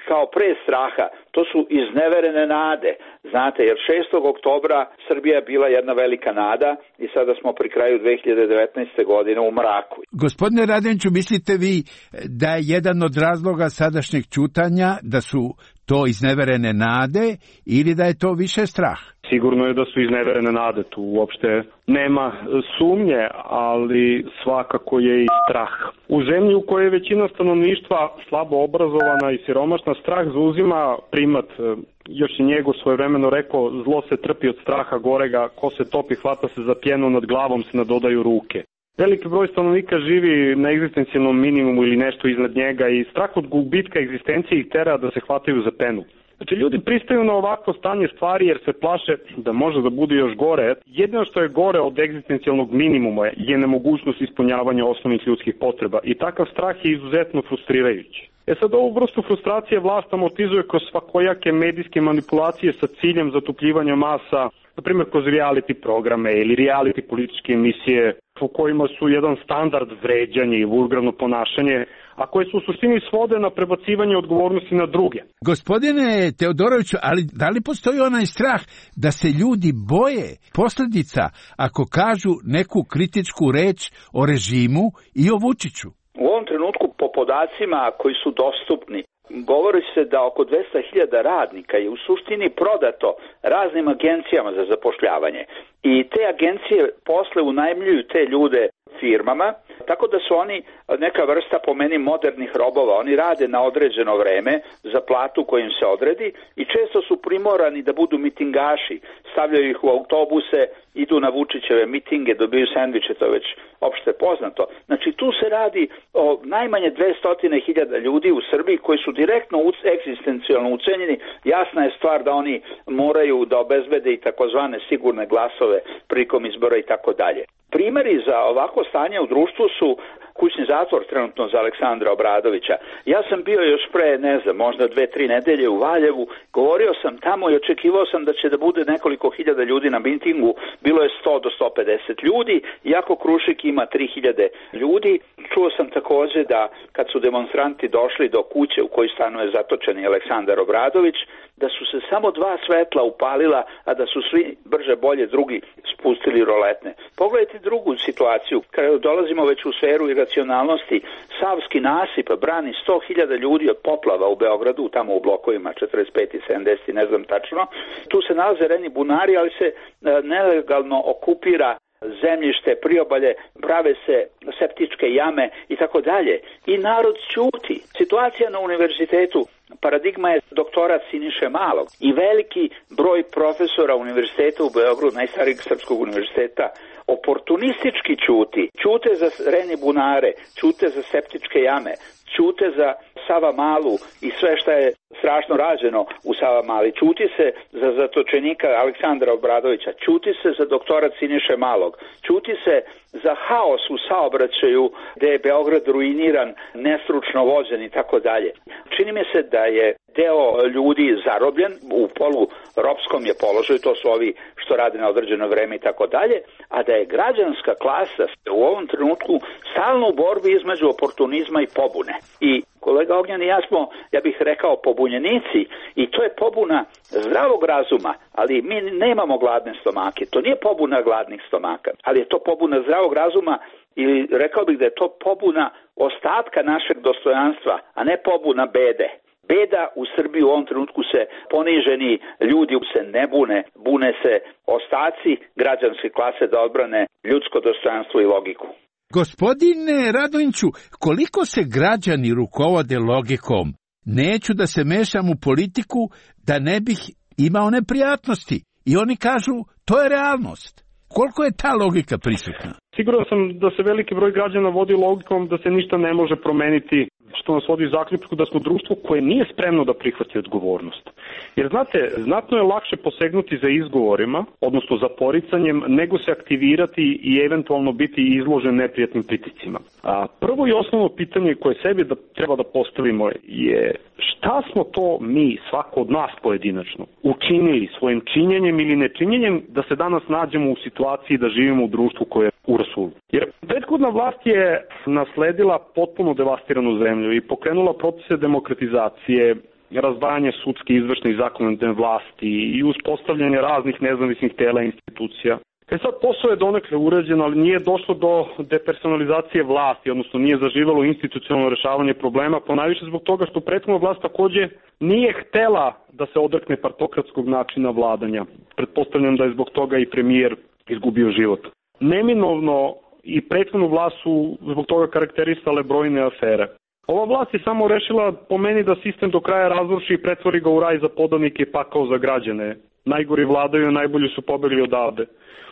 kao pre straha, to su izneverene nade. Znate, jer 6. oktobra Srbija je bila jedna velika nada i sada smo pri kraju 2019. godine u mraku. Gospodine Radonjiću, mislite vi da je jedan od razloga sadašnjeg ćutanja da su to izneverene nade ili da je to više strah? Sigurno je da su izneverene nade, tu uopšte nema sumnje, ali svakako je i strah. U zemlji u kojoj je većina stanovništva slabo obrazovana i siromašna, strah zauzima primat. Još je Njegov svojevremeno rekao, zlo se trpi od straha gorega, ko se topi hvata se za pjenu, nad glavom se nadodaju ruke. Veliki broj stanovnika živi na egzistencijalnom minimumu ili nešto iznad njega i strah od gubitka egzistencije ih tera da se hvataju za penu. Znači, ljudi pristaju na ovakvo stanje stvari jer se plaše da može da bude još gore. Jedino što je gore od egzistencijalnog minimuma je nemogućnost ispunjavanja osnovnih ljudskih potreba i takav strah je izuzetno frustrirajući. Sad ovu vrstu frustracije vlast amortizuje kroz svakojake medijske manipulacije sa ciljem zatupljivanja masa, na primjer kroz reality programe ili reality političke emisije u kojima su jedan standard vređanje i vulgarno ponašanje, a koje su u suštini svode na prebacivanje odgovornosti na druge. Gospodine Teodoroviću, ali da li postoji onaj strah da se ljudi boje posljedica ako kažu neku kritičku reč o režimu i o Vučiću? U ovom trenutku po podacima koji su dostupni, govori se da oko 200.000 radnika je u suštini prodato raznim agencijama za zapošljavanje. I te agencije posle unajmljuju te ljude firmama, tako da su oni neka vrsta po meni modernih robova. Oni rade na određeno vreme za platu koju im se odredi i često su primorani da budu mitingaši. Stavljaju ih u autobuse, idu na Vučićeve mitinge, dobiju sendviče, to je već opšte poznato. Znači tu se radi o najmanje 200.000 ljudi u Srbiji koji su direktno egzistencijalno ucenjeni. Jasna je stvar da oni moraju da obezbede i takozvane sigurne glasove prilikom izbora i tako dalje. Primeri za ovako stanje u društvu su kućni zatvor trenutno za Aleksandra Obradovića. Ja sam bio još pre, možda 2-3 nedelje u Valjevu, govorio sam tamo i očekivao sam da će da bude nekoliko hiljada ljudi na mitingu, bilo je 100 do 150 ljudi, iako Krušik ima 3000 ljudi. Čuo sam takođe da kad su demonstranti došli do kuće u kojoj stanuje zatočeni Aleksandar Obradović, da su se samo 2 svetla upalila, a da su svi brže bolje drugi spustili roletne. Pogledajte drugu situaciju, kada dolazimo već u sferu iracionalnosti, Savski nasip brani 100.000 ljudi od poplava u Beogradu, tamo u blokovima 45 i 70, ne znam tačno. Tu se nalaze reni bunari, ali se nelegalno okupira zemljište, priobalje, prave se septičke jame i tako dalje. I narod ćuti. Situacija na univerzitetu, paradigma je doktorat Siniše Malog i veliki broj profesora univerziteta u Beogradu, najstarijeg srpskog univerziteta, oportunistički ćuti. Ćute za reni bunare, ćute za septičke jame, ćute za Savamalu i sve što je strašno rađeno u Savamali. Ćuti se za zatočenika Aleksandra Obradovića, ćuti se za doktorat Siniše Malog, ćuti se za haos u saobraćaju gde je Beograd ruiniran, nestručno vođen i tako dalje. Čini mi se da je deo ljudi zarobljen, u poluropskom je položaju, to su ovi što rade na određeno vreme i tako dalje, a da je građanska klasa u ovom trenutku stalno u borbi između oportunizma i pobune. I kolega Ognjan i ja smo, ja bih rekao, pobunjenici i to je pobuna zdravog razuma, ali mi nemamo gladne stomake. To nije pobuna gladnih stomaka, ali je to pobuna zdravog razuma ili rekao bih da je to pobuna ostatka našeg dostojanstva, a ne pobuna bede. Beda u Srbiji u ovom trenutku se poniženi ljudi se ne bune, bune se ostaci građanske klase da odbrane ljudsko dostojanstvo i logiku. Gospodine Radonjiću, koliko se građani rukovode logikom? Neću da se mešam u politiku da ne bih imao neprijatnosti. I oni kažu, to je realnost. Koliko je ta logika prisutna? Siguran sam da se veliki broj građana vodi logikom da se ništa ne može promeniti, što nas vodi zaključku da smo društvo koje nije spremno da prihvati odgovornost. Jer znate, znatno je lakše posegnuti za izgovorima, odnosno za poricanjem, nego se aktivirati i eventualno biti izložen neprijatnim pritiscima. A prvo i osnovno pitanje koje sebi treba da postavimo je šta smo to mi, svako od nas pojedinačno, učinili svojim činjenjem ili nečinjenjem da se danas nađemo u situaciji da živimo u društvu koje je u rasulu. Jer prethodna vlast je nasledila potpuno devastiranu zemlju i pokrenula procese demokratizacije, razdvajanje sudske, izvršne i zakonodavne vlasti i uspostavljanje raznih nezavisnih tela i institucija. Sad posao je donekle urađen, ali nije došlo do depersonalizacije vlasti, odnosno nije zaživalo institucionalno rešavanje problema, ponajviše zbog toga što prethodna vlast takođe nije htela da se odrekne partokratskog načina vladanja. Pretpostavljam da je zbog toga i premijer izgubio život. Neminovno i prethodnu vlast su zbog toga karakterisale brojne afere. Ova vlast je samo rešila po meni da sistem do kraja razruši i pretvori ga u raj za podanike i pakao za građane. Najgori vladaju, najbolji su pobegli odavde.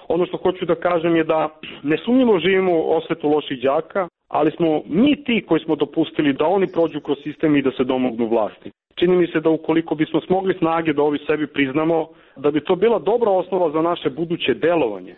Ono što hoću da kažem je da nesumnjivo živimo u osvetu loših đaka, ali smo mi ti koji smo dopustili da oni prođu kroz sistem i da se domognu vlasti. Čini mi se da ukoliko bismo smogli snage da ovi sebi priznamo, da bi to bila dobra osnova za naše buduće delovanje.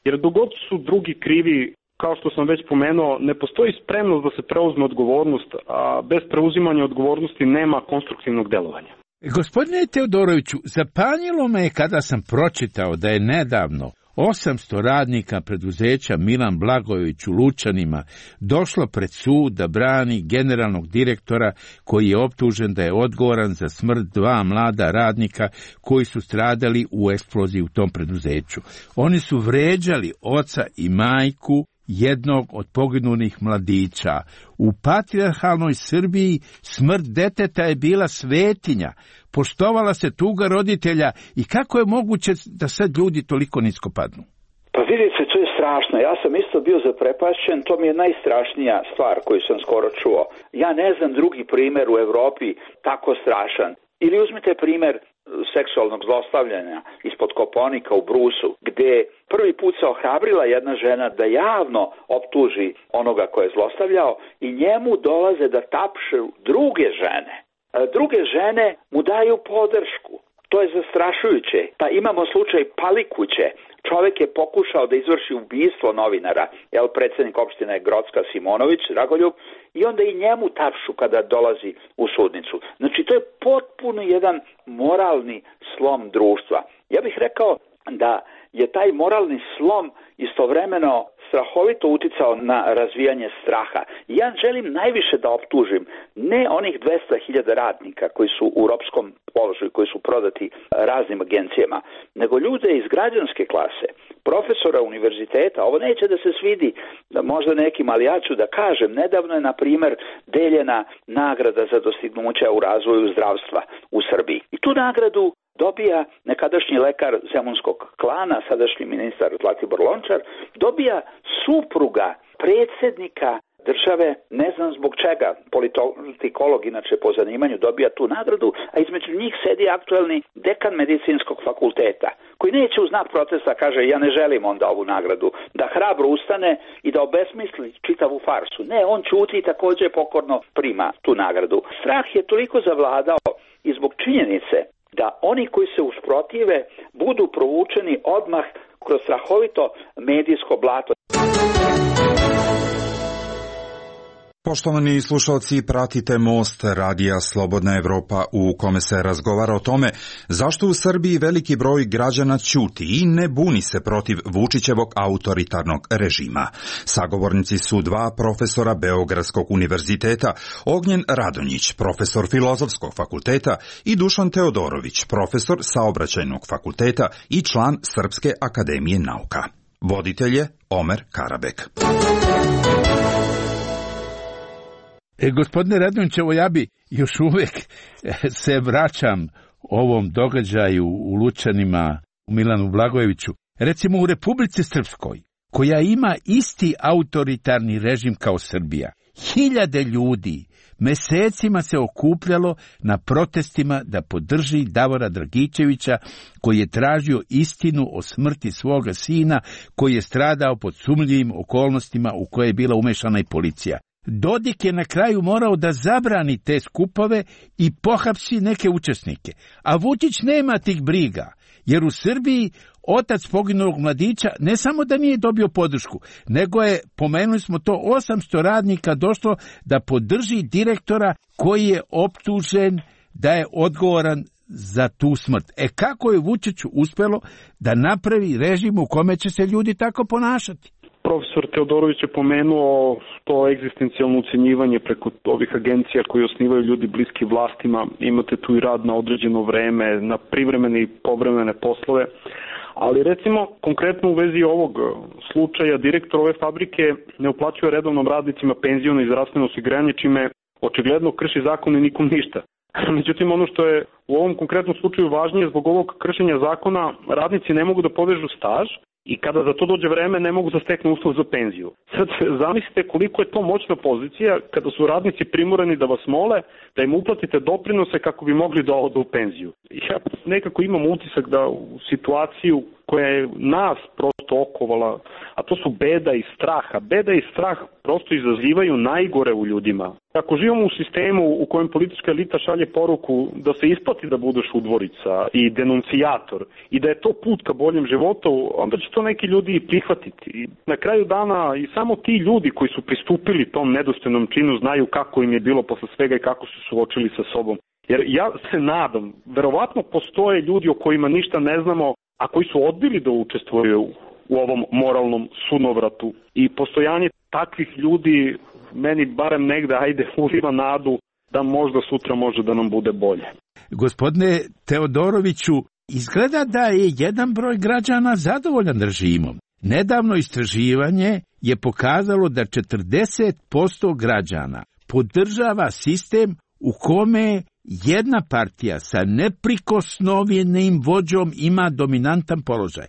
Jer dogod su drugi krivi, kao što sam već pomenuo, ne postoji spremnost da se preuzme odgovornost, a bez preuzimanja odgovornosti nema konstruktivnog delovanja. Gospodine Teodoroviću, zapanjilo me je kada sam pročitao da je nedavno 800 radnika preduzeća Milan Blagojević u Lučanima došlo pred sud da brani generalnog direktora koji je optužen da je odgovoran za smrt 2 mlada radnika koji su stradali u eksploziji u tom preduzeću. Oni su vređali oca i majku jednog od poginulih mladića. U patrijarhalnoj Srbiji smrt deteta je bila svetinja, poštovala se tuga roditelja i kako je moguće da sad ljudi toliko nisko padnu? Pa vidite, to je strašno. Ja sam isto bio zaprepašćen, to mi je najstrašnija stvar koju sam skoro čuo. Ja ne znam drugi primjer u Evropi tako strašan. Ili uzmite primjer seksualnog zlostavljanja ispod Kopaonika u Brusu, gdje prvi put se ohrabrila jedna žena da javno optuži onoga ko je zlostavljao i njemu dolaze da tapšu druge žene. Druge žene mu daju podršku. To je zastrašujuće. Pa imamo slučaj Palikuće. Čovjek je pokušao da izvrši ubistvo novinara, predsjednik opštine Grocka Simonović, Dragoljub, i onda i njemu tapšu kada dolazi u sudnicu. Znači, to je potpuno jedan moralni slom društva. Ja bih rekao da je taj moralni slom istovremeno strahovito uticao na razvijanje straha. Ja želim najviše da optužim ne onih 200.000 radnika koji su u ropskom položaju, koji su prodati raznim agencijama, nego ljude iz građanske klase, profesora univerziteta. Ovo neće da se svidi da možda nekim, ali ja ću da kažem, nedavno je na primjer deljena nagrada za dostignuća u razvoju zdravstva u Srbiji. I tu nagradu dobija nekadašnji lekar zemunskog klana, sadašnji ministar Zlatibor Lončar, dobija supruga predsjednika države, ne znam zbog čega, politikolog inače po zanimanju dobija tu nagradu, a između njih sedi aktuelni dekan medicinskog fakulteta, koji neće u znak protesta kaže ja ne želim onda ovu nagradu, da hrabro ustane i da obesmisli čitavu farsu. Ne, on ćuti i također pokorno prima tu nagradu. Strah je toliko zavladao i zbog činjenice da oni koji se usprotive budu provučeni odmah kroz strahovito medijsko blato. Poštovani slušalci, pratite Most radija Slobodna Evropa u kome se razgovara o tome zašto u Srbiji veliki broj građana ćuti i ne buni se protiv Vučićevog autoritarnog režima. Sagovornici su dva profesora Beogradskog univerziteta, Ognjen Radonjić, profesor Filozofskog fakulteta i Dušan Teodorović, profesor Saobraćajnog fakulteta i član Srpske akademije nauka. Voditelj je Omer Karabek. Gospodine Radonjićevo, ja bi još uvijek se vraćam ovom događaju u Lučanima, u Milanu Blagojeviću. Recimo u Republici Srpskoj, koja ima isti autoritarni režim kao Srbija, 1000 ljudi mesecima se okupljalo na protestima da podrži Davora Dragičevića, koji je tražio istinu o smrti svoga sina, koji je stradao pod sumnjivim okolnostima u koje je bila umešana i policija. Dodik je na kraju morao da zabrani te skupove i pohapsi neke učesnike. A Vučić nema tih briga, jer u Srbiji otac poginulog mladića ne samo da nije dobio podršku, nego je, pomenuli smo to, 800 radnika došlo da podrži direktora koji je optužen da je odgovoran za tu smrt. Kako je Vučiću uspelo da napravi režim u kome će se ljudi tako ponašati? Profesor Teodorović je pomenuo to egzistencijalno ucenjivanje preko ovih agencija koji osnivaju ljudi bliski vlastima. Imate tu i rad na određeno vreme, na privremene i povremene poslove. Ali recimo, konkretno u vezi ovog slučaja, direktor ove fabrike ne uplaćuje redovnom radnicima penziono i zdravstveno osiguranje, čime očigledno krši zakon i nikom ništa. Međutim, ono što je u ovom konkretnom slučaju važnije, zbog ovog kršenja zakona radnici ne mogu da povežu staž, i kada za to dođe vreme ne mogu da steknu uslov za penziju. Sad zamislite koliko je to moćna pozicija kada su radnici primorani da vas mole da im uplatite doprinose kako bi mogli da odu u penziju. Ja nekako imam utisak da u situaciju koja je nas prosto okovala, a to su beda i strah. A beda i strah prosto izazivaju najgore u ljudima. Ako živimo u sistemu u kojem politička elita šalje poruku da se isplati da budeš udvorica i denuncijator i da je to put ka boljem životu, onda će to neki ljudi i prihvatiti. I na kraju dana i samo ti ljudi koji su pristupili tom nedostojnom činu znaju kako im je bilo posle svega i kako su suočili sa sobom. Jer ja se nadam, verovatno postoje ljudi o kojima ništa ne znamo, a koji su odbili da učestvuju u ovom moralnom sunovratu. I postojanje takvih ljudi meni barem negde uliva nadu da možda sutra može da nam bude bolje. Gospodine Teodoroviću, izgleda da je jedan broj građana zadovoljan režimom. Nedavno istraživanje je pokazalo da 40% građana podržava sistem u kome jedna partija sa neprikosnovenim vođom ima dominantan položaj.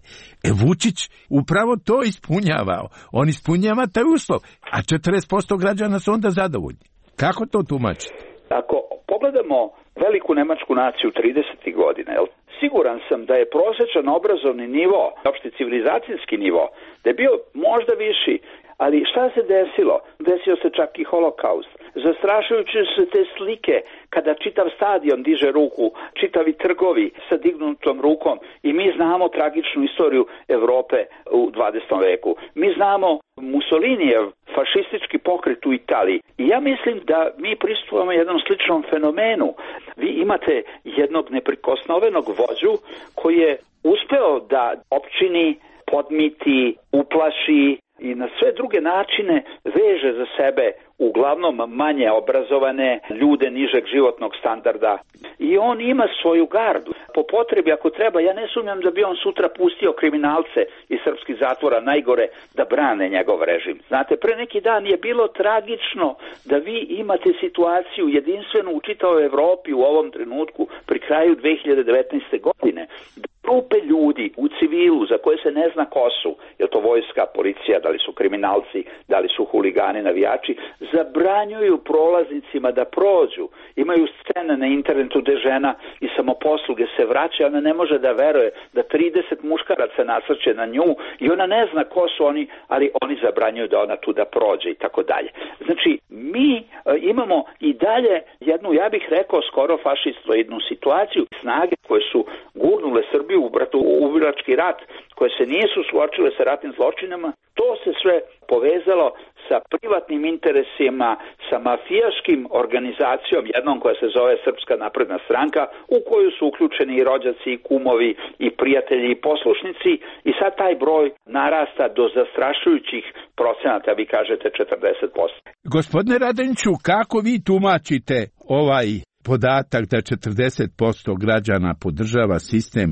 Vučić upravo to ispunjavao. On ispunjava taj uslov, a 40% građana su onda zadovoljni. Kako to tumačite? Ako pogledamo veliku nemačku naciju 30. godine, siguran sam da je prosječan obrazovni nivo, opšti civilizacijski nivo, da je bio možda viši, ali šta se desilo? Desio se čak i holokaust. Zastrašujuće su te slike kada čitav stadion diže ruku, čitavi trgovi sa dignutom rukom i mi znamo tragičnu istoriju Evrope u 20. veku. Mi znamo Mussolinijev fašistički pokret u Italiji i ja mislim da mi pristupamo jednom sličnom fenomenu. Vi imate jednog neprikosnovenog vođu koji je uspeo da opčini, podmiti, uplaši i na sve druge načine veže za sebe uglavnom manje obrazovane ljude nižeg životnog standarda. I on ima svoju gardu. Po potrebi, ako treba, ja ne sumnjam da bi on sutra pustio kriminalce iz srpskih zatvora najgore da brane njegov režim. Znate, pre neki dan je bilo tragično da vi imate situaciju jedinstvenu u čitavoj Evropi u ovom trenutku pri kraju 2019. godine. Grupe ljudi u civilu za koje se ne zna ko su, je to vojska, policija, da li su kriminalci, da li su huligani, navijači, zabranjuju prolaznicima da prođu. Imaju scene na internetu gde žena i samoposluge se vraća, ona ne može da veruje da 30 muškaraca nasrće na nju i ona ne zna ko su oni, ali oni zabranjuju da ona tu da prođe i tako dalje. Znači, mi imamo i dalje jednu, ja bih rekao, skoro fašistoidnu situaciju, snage koje su gurnule Srbiju u ubilački rat, koje se nisu suočile sa ratnim zločinama, to se sve povezalo sa privatnim interesima, sa mafijaškim organizacijom, jednom koja se zove Srpska napredna stranka, u koju su uključeni i rođaci, i kumovi, i prijatelji, i poslušnici, i sad taj broj narasta do zastrašujućih procenata, vi kažete 40%. Gospodine Radonjiću, kako vi tumačite ovaj podatak da 40% građana podržava sistem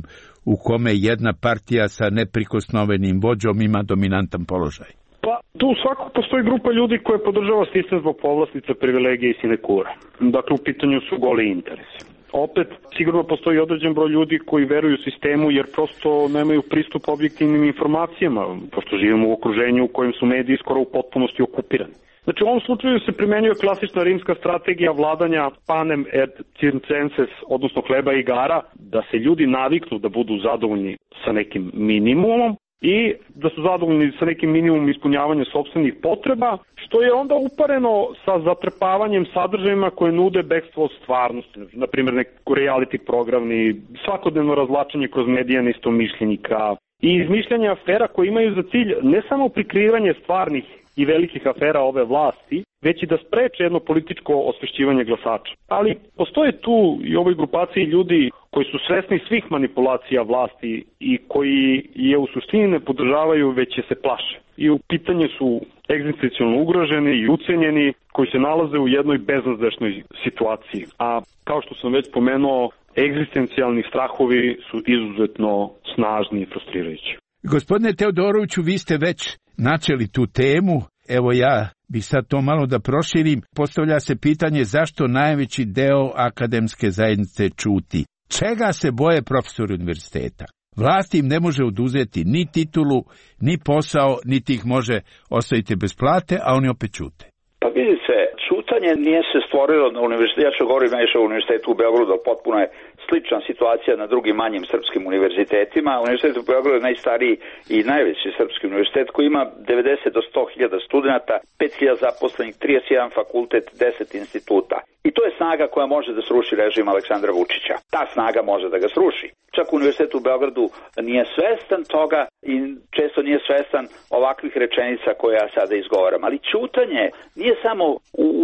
u kome jedna partija sa neprikosnovenim vođom ima dominantan položaj? Pa tu svakako postoji grupa ljudi koja podržava sistem zbog povlastica, privilegije i sinekura. Dakle, u pitanju su goli interesi. Opet, sigurno postoji određen broj ljudi koji veruju sistemu jer prosto nemaju pristup objektivnim informacijama, pošto živimo u okruženju u kojem su mediji skoro u potpunosti okupirani. Znači, u ovom slučaju se primenjuje klasična rimska strategija vladanja panem et circenses, odnosno hleba i igara, da se ljudi naviknu da budu zadovoljni sa nekim minimumom i da su zadovoljni sa nekim minimumom ispunjavanja sopstvenih potreba, što je onda upareno sa zatrpavanjem sadržajima koje nude bekstvo od stvarnosti. Na primjer, neki reality programi, svakodnevno razvlačenje kroz medija neistomišljenika i izmišljanje afera koje imaju za cilj ne samo prikrivanje stvarnih i velikih afera ove vlasti, već i da spreče jedno političko osvešćivanje glasača. Ali postoje tu i u ovoj grupaciji ljudi koji su svesni svih manipulacija vlasti i koji je u suštini ne podržavaju, već je se plaše. I u pitanje su egzistencijalno ugroženi i ucenjeni koji se nalaze u jednoj beznadešnoj situaciji. A kao što sam već pomenuo, egzistencijalni strahovi su izuzetno snažni i frustrirajući. Gospodine Teodoroviću, vi ste već načeli tu temu. Evo ja bih sad to malo da proširim. Postavlja se pitanje zašto najveći deo akademske zajednice ćuti. Čega se boje profesori univerziteta? Vlast im ne može oduzeti ni titulu, ni posao, niti ih može ostaviti bez plate, a oni opet ćute. Pa vidite, ćutanje nije se stvorilo na univerzitetu, ja ću govorim najviše o univerzitetu u Beogradu, potpuno je slična situacija na drugim manjim srpskim univerzitetima. Univerzitet u Beogradu je najstariji i najveći srpski univerzitet koji ima 90 do 100.000 studenta, 5.000 zaposlenih, 31 fakultet, 10 instituta. I to je snaga koja može da sruši režim Aleksandra Vučića. Ta snaga može da ga sruši. Čak Univerzitet u Beogradu nije svestan toga i često nije svestan ovakvih rečenica koje ja sada izgovaram. Ali ćutanje nije samo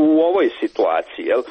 u ovoj situaciji. Jel?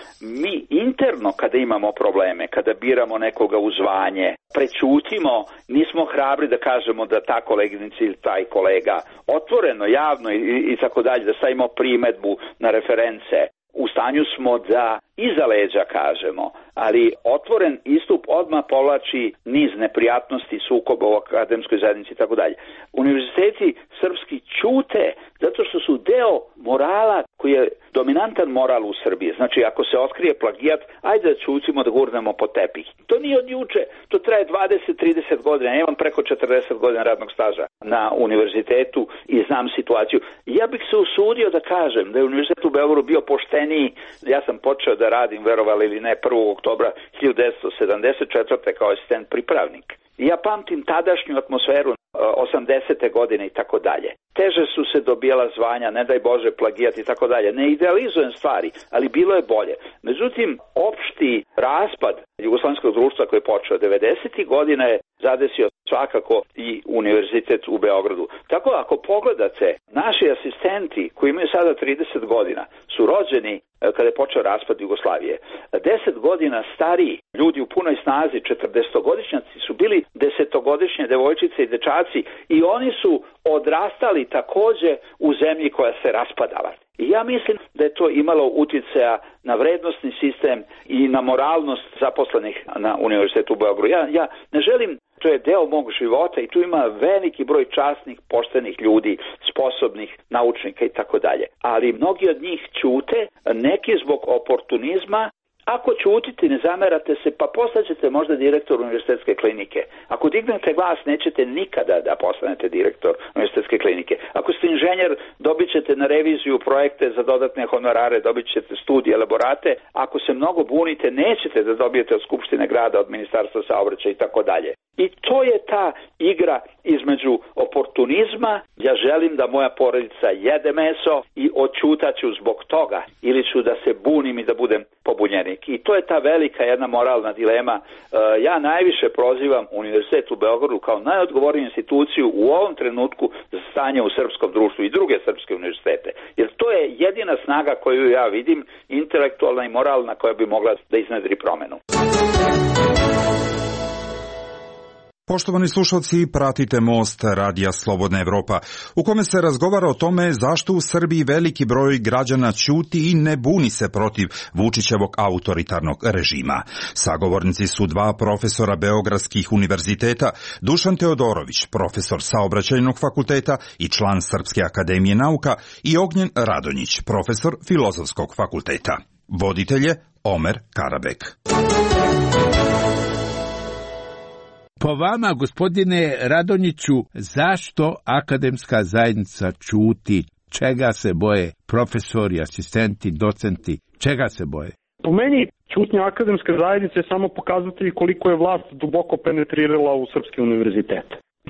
Mi interno kada imamo probleme, kada biramo nekoga u zvanje, prećutimo, nismo hrabri da kažemo da ta koleginica ili taj kolega otvoreno, javno i tako dalje, da stavimo primedbu na reference. U stanju smo da iza leđa kažemo, ali otvoren istup odmah povlači niz neprijatnosti, sukoba u akademskoj zajednici i tako dalje. Univerziteti srpski ćute zato što su deo morala koji je dominantan moral u Srbiji. Znači, ako se otkrije plagijat, ajde da ćutimo, da gurnemo po tepih. To nije od juče, to traje 20-30 godina. Ja imam preko 40 godina radnog staža na univerzitetu i znam situaciju. Ja bih se usudio da kažem da je univerzitet u Beogradu bio pošteniji. Ja sam počeo da radim, verovali ili ne, 1. oktobra 1974. kao asistent pripravnik. I ja pamtim tadašnju atmosferu 80. godine i tako dalje. Teže su se dobijala zvanja, ne daj Bože plagijat i tako dalje. Ne idealizujem stvari, ali bilo je bolje. Međutim, opšti raspad jugoslovenskog društva koji je počeo 90. godina je zadesio svakako i univerzitet u Beogradu. Tako ako pogledate, naši asistenti koji imaju sada 30 godina su rođeni kada je počeo raspad Jugoslavije. 10 godina stariji ljudi u punoj snazi, 40-godišnjaci, su bili 10-godišnje devojčice i dečaci i oni su odrastali takođe u zemlji koja se raspadala. I ja mislim da je to imalo uticaja na vrednosni sistem i na moralnost zaposlenih na Univerzitetu u Beogradu. Ja ne želim, to je deo mog života i tu ima veliki broj časnih, poštenih ljudi, sposobnih naučnika i tako dalje. Ali mnogi od njih ćute, neki zbog oportunizma. Ako ćutite, ne zamerate se, pa postaćete možda direktor univerzitetske klinike. Ako dignete glas, nećete nikada da postanete direktor univerzitetske klinike. Ako ste inženjer, dobit ćete na reviziju projekte za dodatne honorare, dobit ćete studije, elaborate. Ako se mnogo bunite, nećete da dobijete od Skupštine grada, od Ministarstva saobraćaja i tako dalje. I to je ta igra između oportunizma, ja želim da moja porodica jede meso i odćutaću zbog toga, ili ću da se bunim i da budem pobunjenik. I to je ta velika jedna moralna dilema. Ja najviše prozivam Univerzitet u Beogradu kao najodgovorniju instituciju u ovom trenutku za stanje u srpskom društvu i druge srpske univerzitete. Jer to je jedina snaga koju ja vidim, intelektualna i moralna, koja bi mogla da iznedri promenu. Poštovani slušalci, pratite Most Radija Slobodna Evropa, u kome se razgovara o tome zašto u Srbiji veliki broj građana ćuti i ne buni se protiv Vučićevog autoritarnog režima. Sagovornici su dva profesora beogradskih univerziteta, Dušan Teodorović, profesor Saobraćajnog fakulteta i član Srpske akademije nauka, i Ognjen Radonjić, profesor Filozofskog fakulteta. Voditelj je Omer Karabek. Po vama, gospodine Radonjiću, zašto akademska zajednica ćuti? Čega se boje profesori, asistenti, docenti? Čega se boje? Po meni, ćutnja akademske zajednice je samo pokazatelj koliko je vlast duboko penetrirala u srpski univerzitet.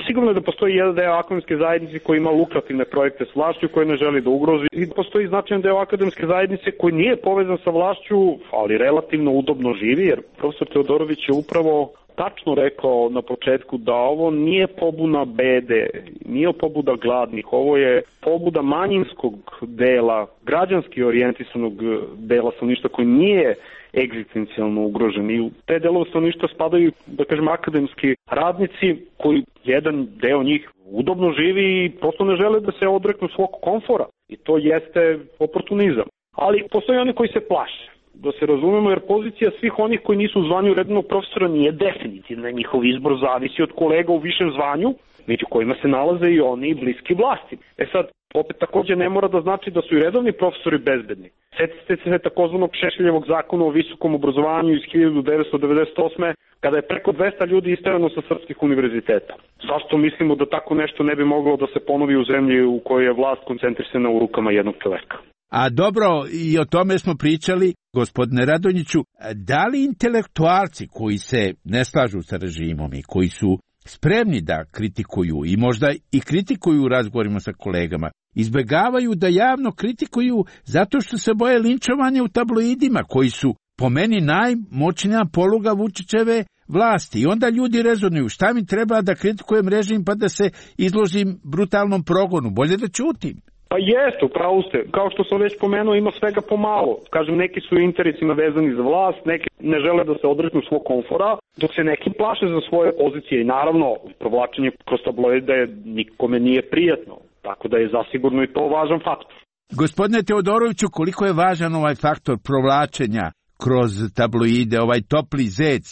Sigurno je da postoji jedan deo akademske zajednice koji ima lukrativne projekte s vlašću koje ne želi da ugrozi, i postoji značajan deo akademske zajednice koji nije povezan sa vlašću, ali relativno udobno živi, jer profesor Teodorović je upravo tačno rekao na početku da ovo nije pobuna bede, nije pobuda gladnih, ovo je pobuda manjinskog dela, građanski orijentisanog dela stanovništva koji nije egzistencijalno ugrožen. I u te delove stanovništva spadaju, da kažem, akademski radnici koji jedan deo njih udobno živi i prosto ne žele da se odreknu svog komfora. I to jeste oportunizam. Ali postoje oni koji se plaše. Da se razumemo, jer pozicija svih onih koji nisu u zvanju redovnog profesora nije definitivna. Njihov izbor zavisi od kolega u višem zvanju, među kojima se nalaze i oni bliski vlasti. Sad, opet takođe ne mora da znači da su i redovni profesori bezbedni. Setite se takozvanog Šešeljevog zakona o visokom obrazovanju iz 1998. kada je preko 200 ljudi isterano sa srpskih univerziteta. Zašto mislimo da tako nešto ne bi moglo da se ponovi u zemlji u kojoj je vlast koncentrisana u rukama jednog čoveka? A dobro, i o tome smo pričali, gospodine Radonjiću, da li intelektualci koji se ne slažu sa režimom i koji su spremni da kritikuju i možda i kritikuju u razgovorima sa kolegama, izbegavaju da javno kritikuju zato što se boje linčovanja u tabloidima koji su po meni najmoćnija poluga Vučićeve vlasti. I onda ljudi rezonuju, šta mi treba da kritikujem režim pa da se izložim brutalnom progonu, bolje da ćutim. Pa jeste, upravo ste. Kao što sam već pomenuo, ima svega pomalo. Kažem, neki su interesima vezani za vlast, neki ne žele da se odreknu svog komfora, dok se neki plaše za svoje pozicije. I naravno, provlačenje kroz tabloide nikome nije prijatno. Tako da je zasigurno i to važan faktor. Gospodine Teodoroviću, koliko je važan ovaj faktor provlačenja kroz tabloide, ovaj topli zec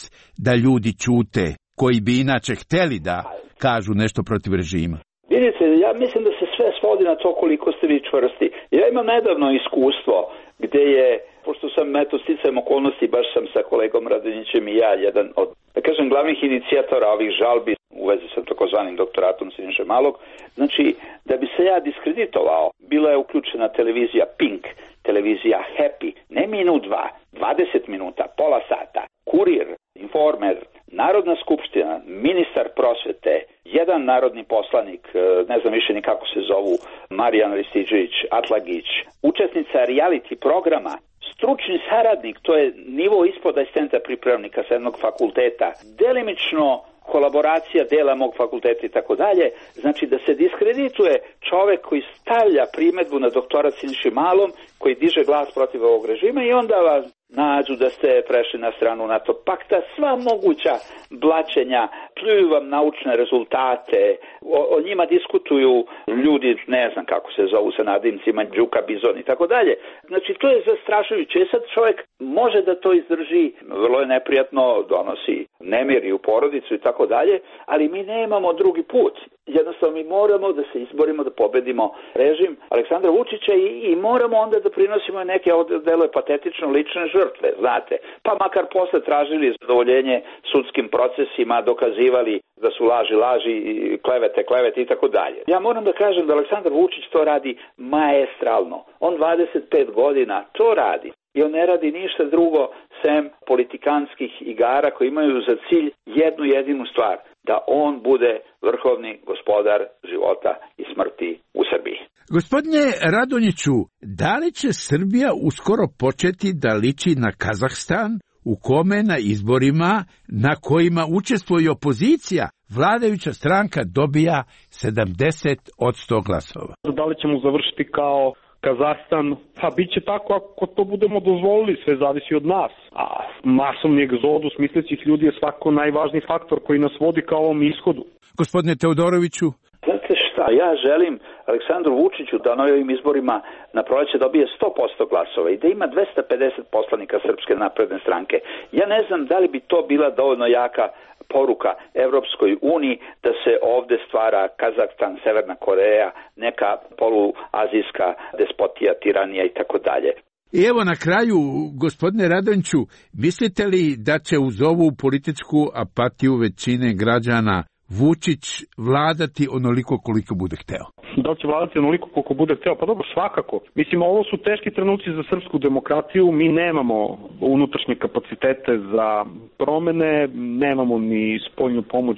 da ljudi ćute, koji bi inače hteli da kažu nešto protiv režima? Vidite, ja mislim da se sve svodi na to koliko ste vi čvrsti. Ja imam nedavno iskustvo gde je, pošto sam sticajem okolnosti, baš sam sa kolegom Radonjićem i ja, jedan od, da kažem, glavnih inicijatora ovih žalbi u vezi sa takozvanim doktoratom Siniše Malog. Znači, da bi se ja diskreditovao, bila je uključena televizija Pink, televizija Happy, ne minut, 20 minuta, pola sata, Kurir, Informer, Narodna skupština, ministar prosvete, jedan narodni poslanik, ne znam više ni kako se zovu, Marijan Ristiđević, Atlagić, učesnica reality programa, stručni saradnik, to je nivo ispod asistenta pripravnika sa jednog fakulteta, delimično kolaboracija dela mog fakulteta i tako dalje, znači da se diskredituje čovek koji stavlja primedbu na doktorat Siniši Malom, koji diže glas protiv ovog režima i onda vas nađu da ste prešli na stranu NATO pakta, sva moguća blaćenja, pljuju vam naučne rezultate, o njima diskutuju ljudi, ne znam kako se zovu sa nadimcima, Đuka, Bizon i tako dalje. Znači to je zastrašujuće. Sad čovjek može da to izdrži, vrlo je neprijatno, donosi nemir i u porodicu i tako dalje, ali mi nemamo drugi put. Jednostavno mi moramo da se izborimo, da pobedimo režim Aleksandra Vučića i moramo onda da prinosimo neke, delo je patetično, lične žrtve, znate. Pa makar posle tražili zadovoljenje sudskim procesima, dokazivali da su laži, klevete i tako dalje. Ja moram da kažem da Aleksandar Vučić to radi maestralno. On 25 godina to radi. I on ne radi ništa drugo sem politikanskih igara koji imaju za cilj jednu jedinu stvar, da on bude vrhovni gospodar života i smrti u Srbiji. Gospodine Radonjiću, da li će Srbija uskoro početi da liči na Kazahstan, u kome na izborima na kojima učestvuje opozicija, vladajuća stranka dobija 70% glasova? Da li ćemo završiti kao Kazahstan? Pa bit će tako ako to budemo dozvolili, sve zavisi od nas. A masovni egzodus mislećih ljudi je svako najvažniji faktor koji nas vodi ka ovom ishodu. Gospodine Teodoroviću, znate šta, ja želim Aleksandru Vučiću da na ovim izborima na proleće dobije 100% glasova i da ima 250 poslanika Srpske napredne stranke. Ja ne znam da li bi to bila dovoljno jaka poruka Evropskoj uniji da se ovde stvara Kazahstan, Severna Koreja, neka poluazijska despotija, tiranija i tako dalje. I evo na kraju, gospodine Radonjiću, mislite li da će uz ovu političku apatiju većine građana Vučić vladati onoliko koliko bude hteo? Da li će vladati onoliko koliko bude hteo? Pa dobro, svakako. Mislim, ovo su teški trenuci za srpsku demokratiju. Mi nemamo unutrašnje kapacitete za promene, nemamo ni spoljnu pomoć,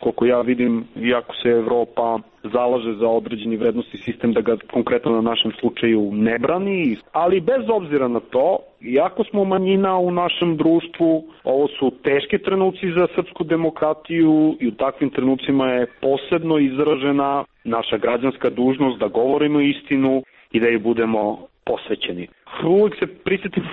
koliko ja vidim, iako se Evropa zalaže za određeni vrednosti sistem da ga konkretno na našem slučaju ne brani, ali bez obzira na to, iako smo manjina u našem društvu, ovo su teški trenuci za srpsku demokratiju i u takvim trenucima je posebno izražena naša građanska dužnost da govorimo istinu i da je budemo posvećeni. Uvijek se prisjetim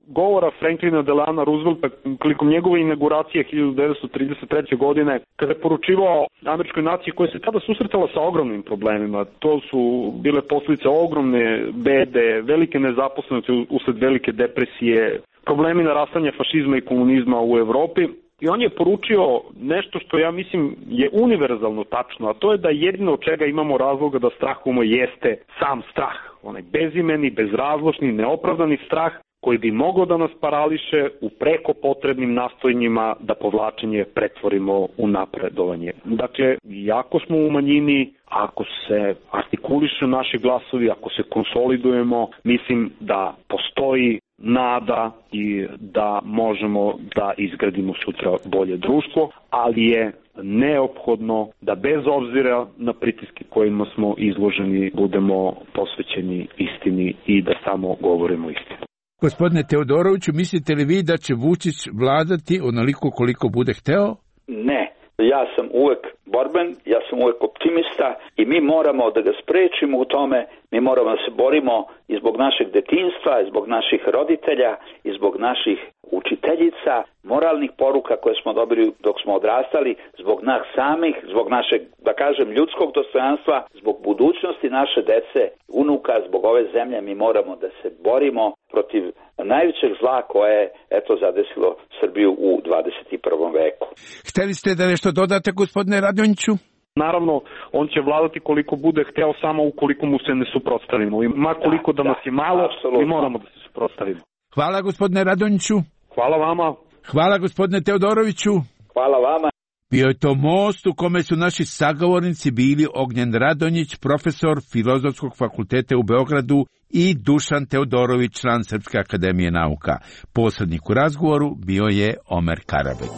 govora Franklina Delana Roosevelta prilikom njegove inauguracije 1933. godine, kada je poručivao američkoj naciji koja se tada susretala sa ogromnim problemima. To su bile posljedice ogromne bede, velike nezaposlenosti usled velike depresije, problemi narastanja fašizma i komunizma u Evropi. I on je poručio nešto što ja mislim je univerzalno tačno, a to je da jedino od čega imamo razloga da strahujemo jeste sam strah. Onaj bezimeni, bezrazložni, neopravdani strah koji bi mogao da nas parališe u preko potrebnim nastojanjima da povlačenje pretvorimo u napredovanje. Dakle, iako smo u manjini, ako se artikulišu naši glasovi, ako se konsolidujemo, mislim da postoji nada i da možemo da izgradimo sutra bolje društvo, ali je neophodno da bez obzira na pritiske kojima smo izloženi budemo posvećeni istini i da samo govorimo istinu. Gospodine Teodoroviću, mislite li vi da će Vučić vladati onoliko koliko bude hteo? Ne. Ja sam uvek borben, ja sam uvek optimista i mi moramo da ga sprečimo u tome, mi moramo da se borimo i zbog našeg detinjstva, i zbog naših roditelja, i zbog naših učiteljica, moralnih poruka koje smo dobili dok smo odrastali, zbog nas samih, zbog našeg, da kažem, ljudskog dostojanstva, zbog budućnosti naše dece, unuka, zbog ove zemlje, mi moramo da se borimo protiv najvećeg zla koje je zadesilo Srbiju u 21. veku. Hteli ste da nešto dodate, gospodine Radonjiću? Naravno, on će vladati koliko bude hteo, samo ukoliko mu se ne suprotstavimo. I ma koliko da nas je malo, mi moramo da se suprotstavimo. Hvala, gospodine Radonjiću. Hvala vama. Hvala, gospodine Teodoroviću. Hvala vama. Bio je to most u kome su naši sagovornici bili Ognjen Radonjić, profesor Filozofskog fakulteta u Beogradu, i Dušan Teodorović, član Srpske akademije nauka. Posrednik u razgovoru bio je Omer Karabek.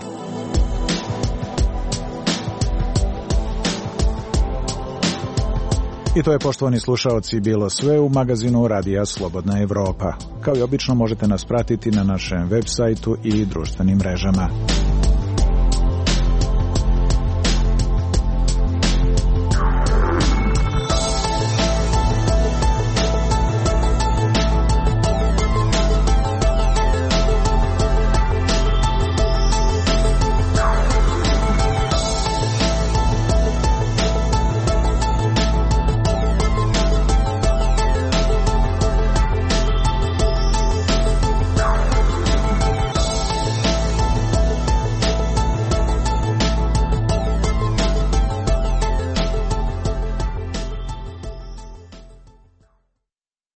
I to je, poštovani slušaoci, bilo sve u magazinu Radija Slobodna Evropa. Kao i obično možete nas pratiti na našem web sajtu i društvenim mrežama.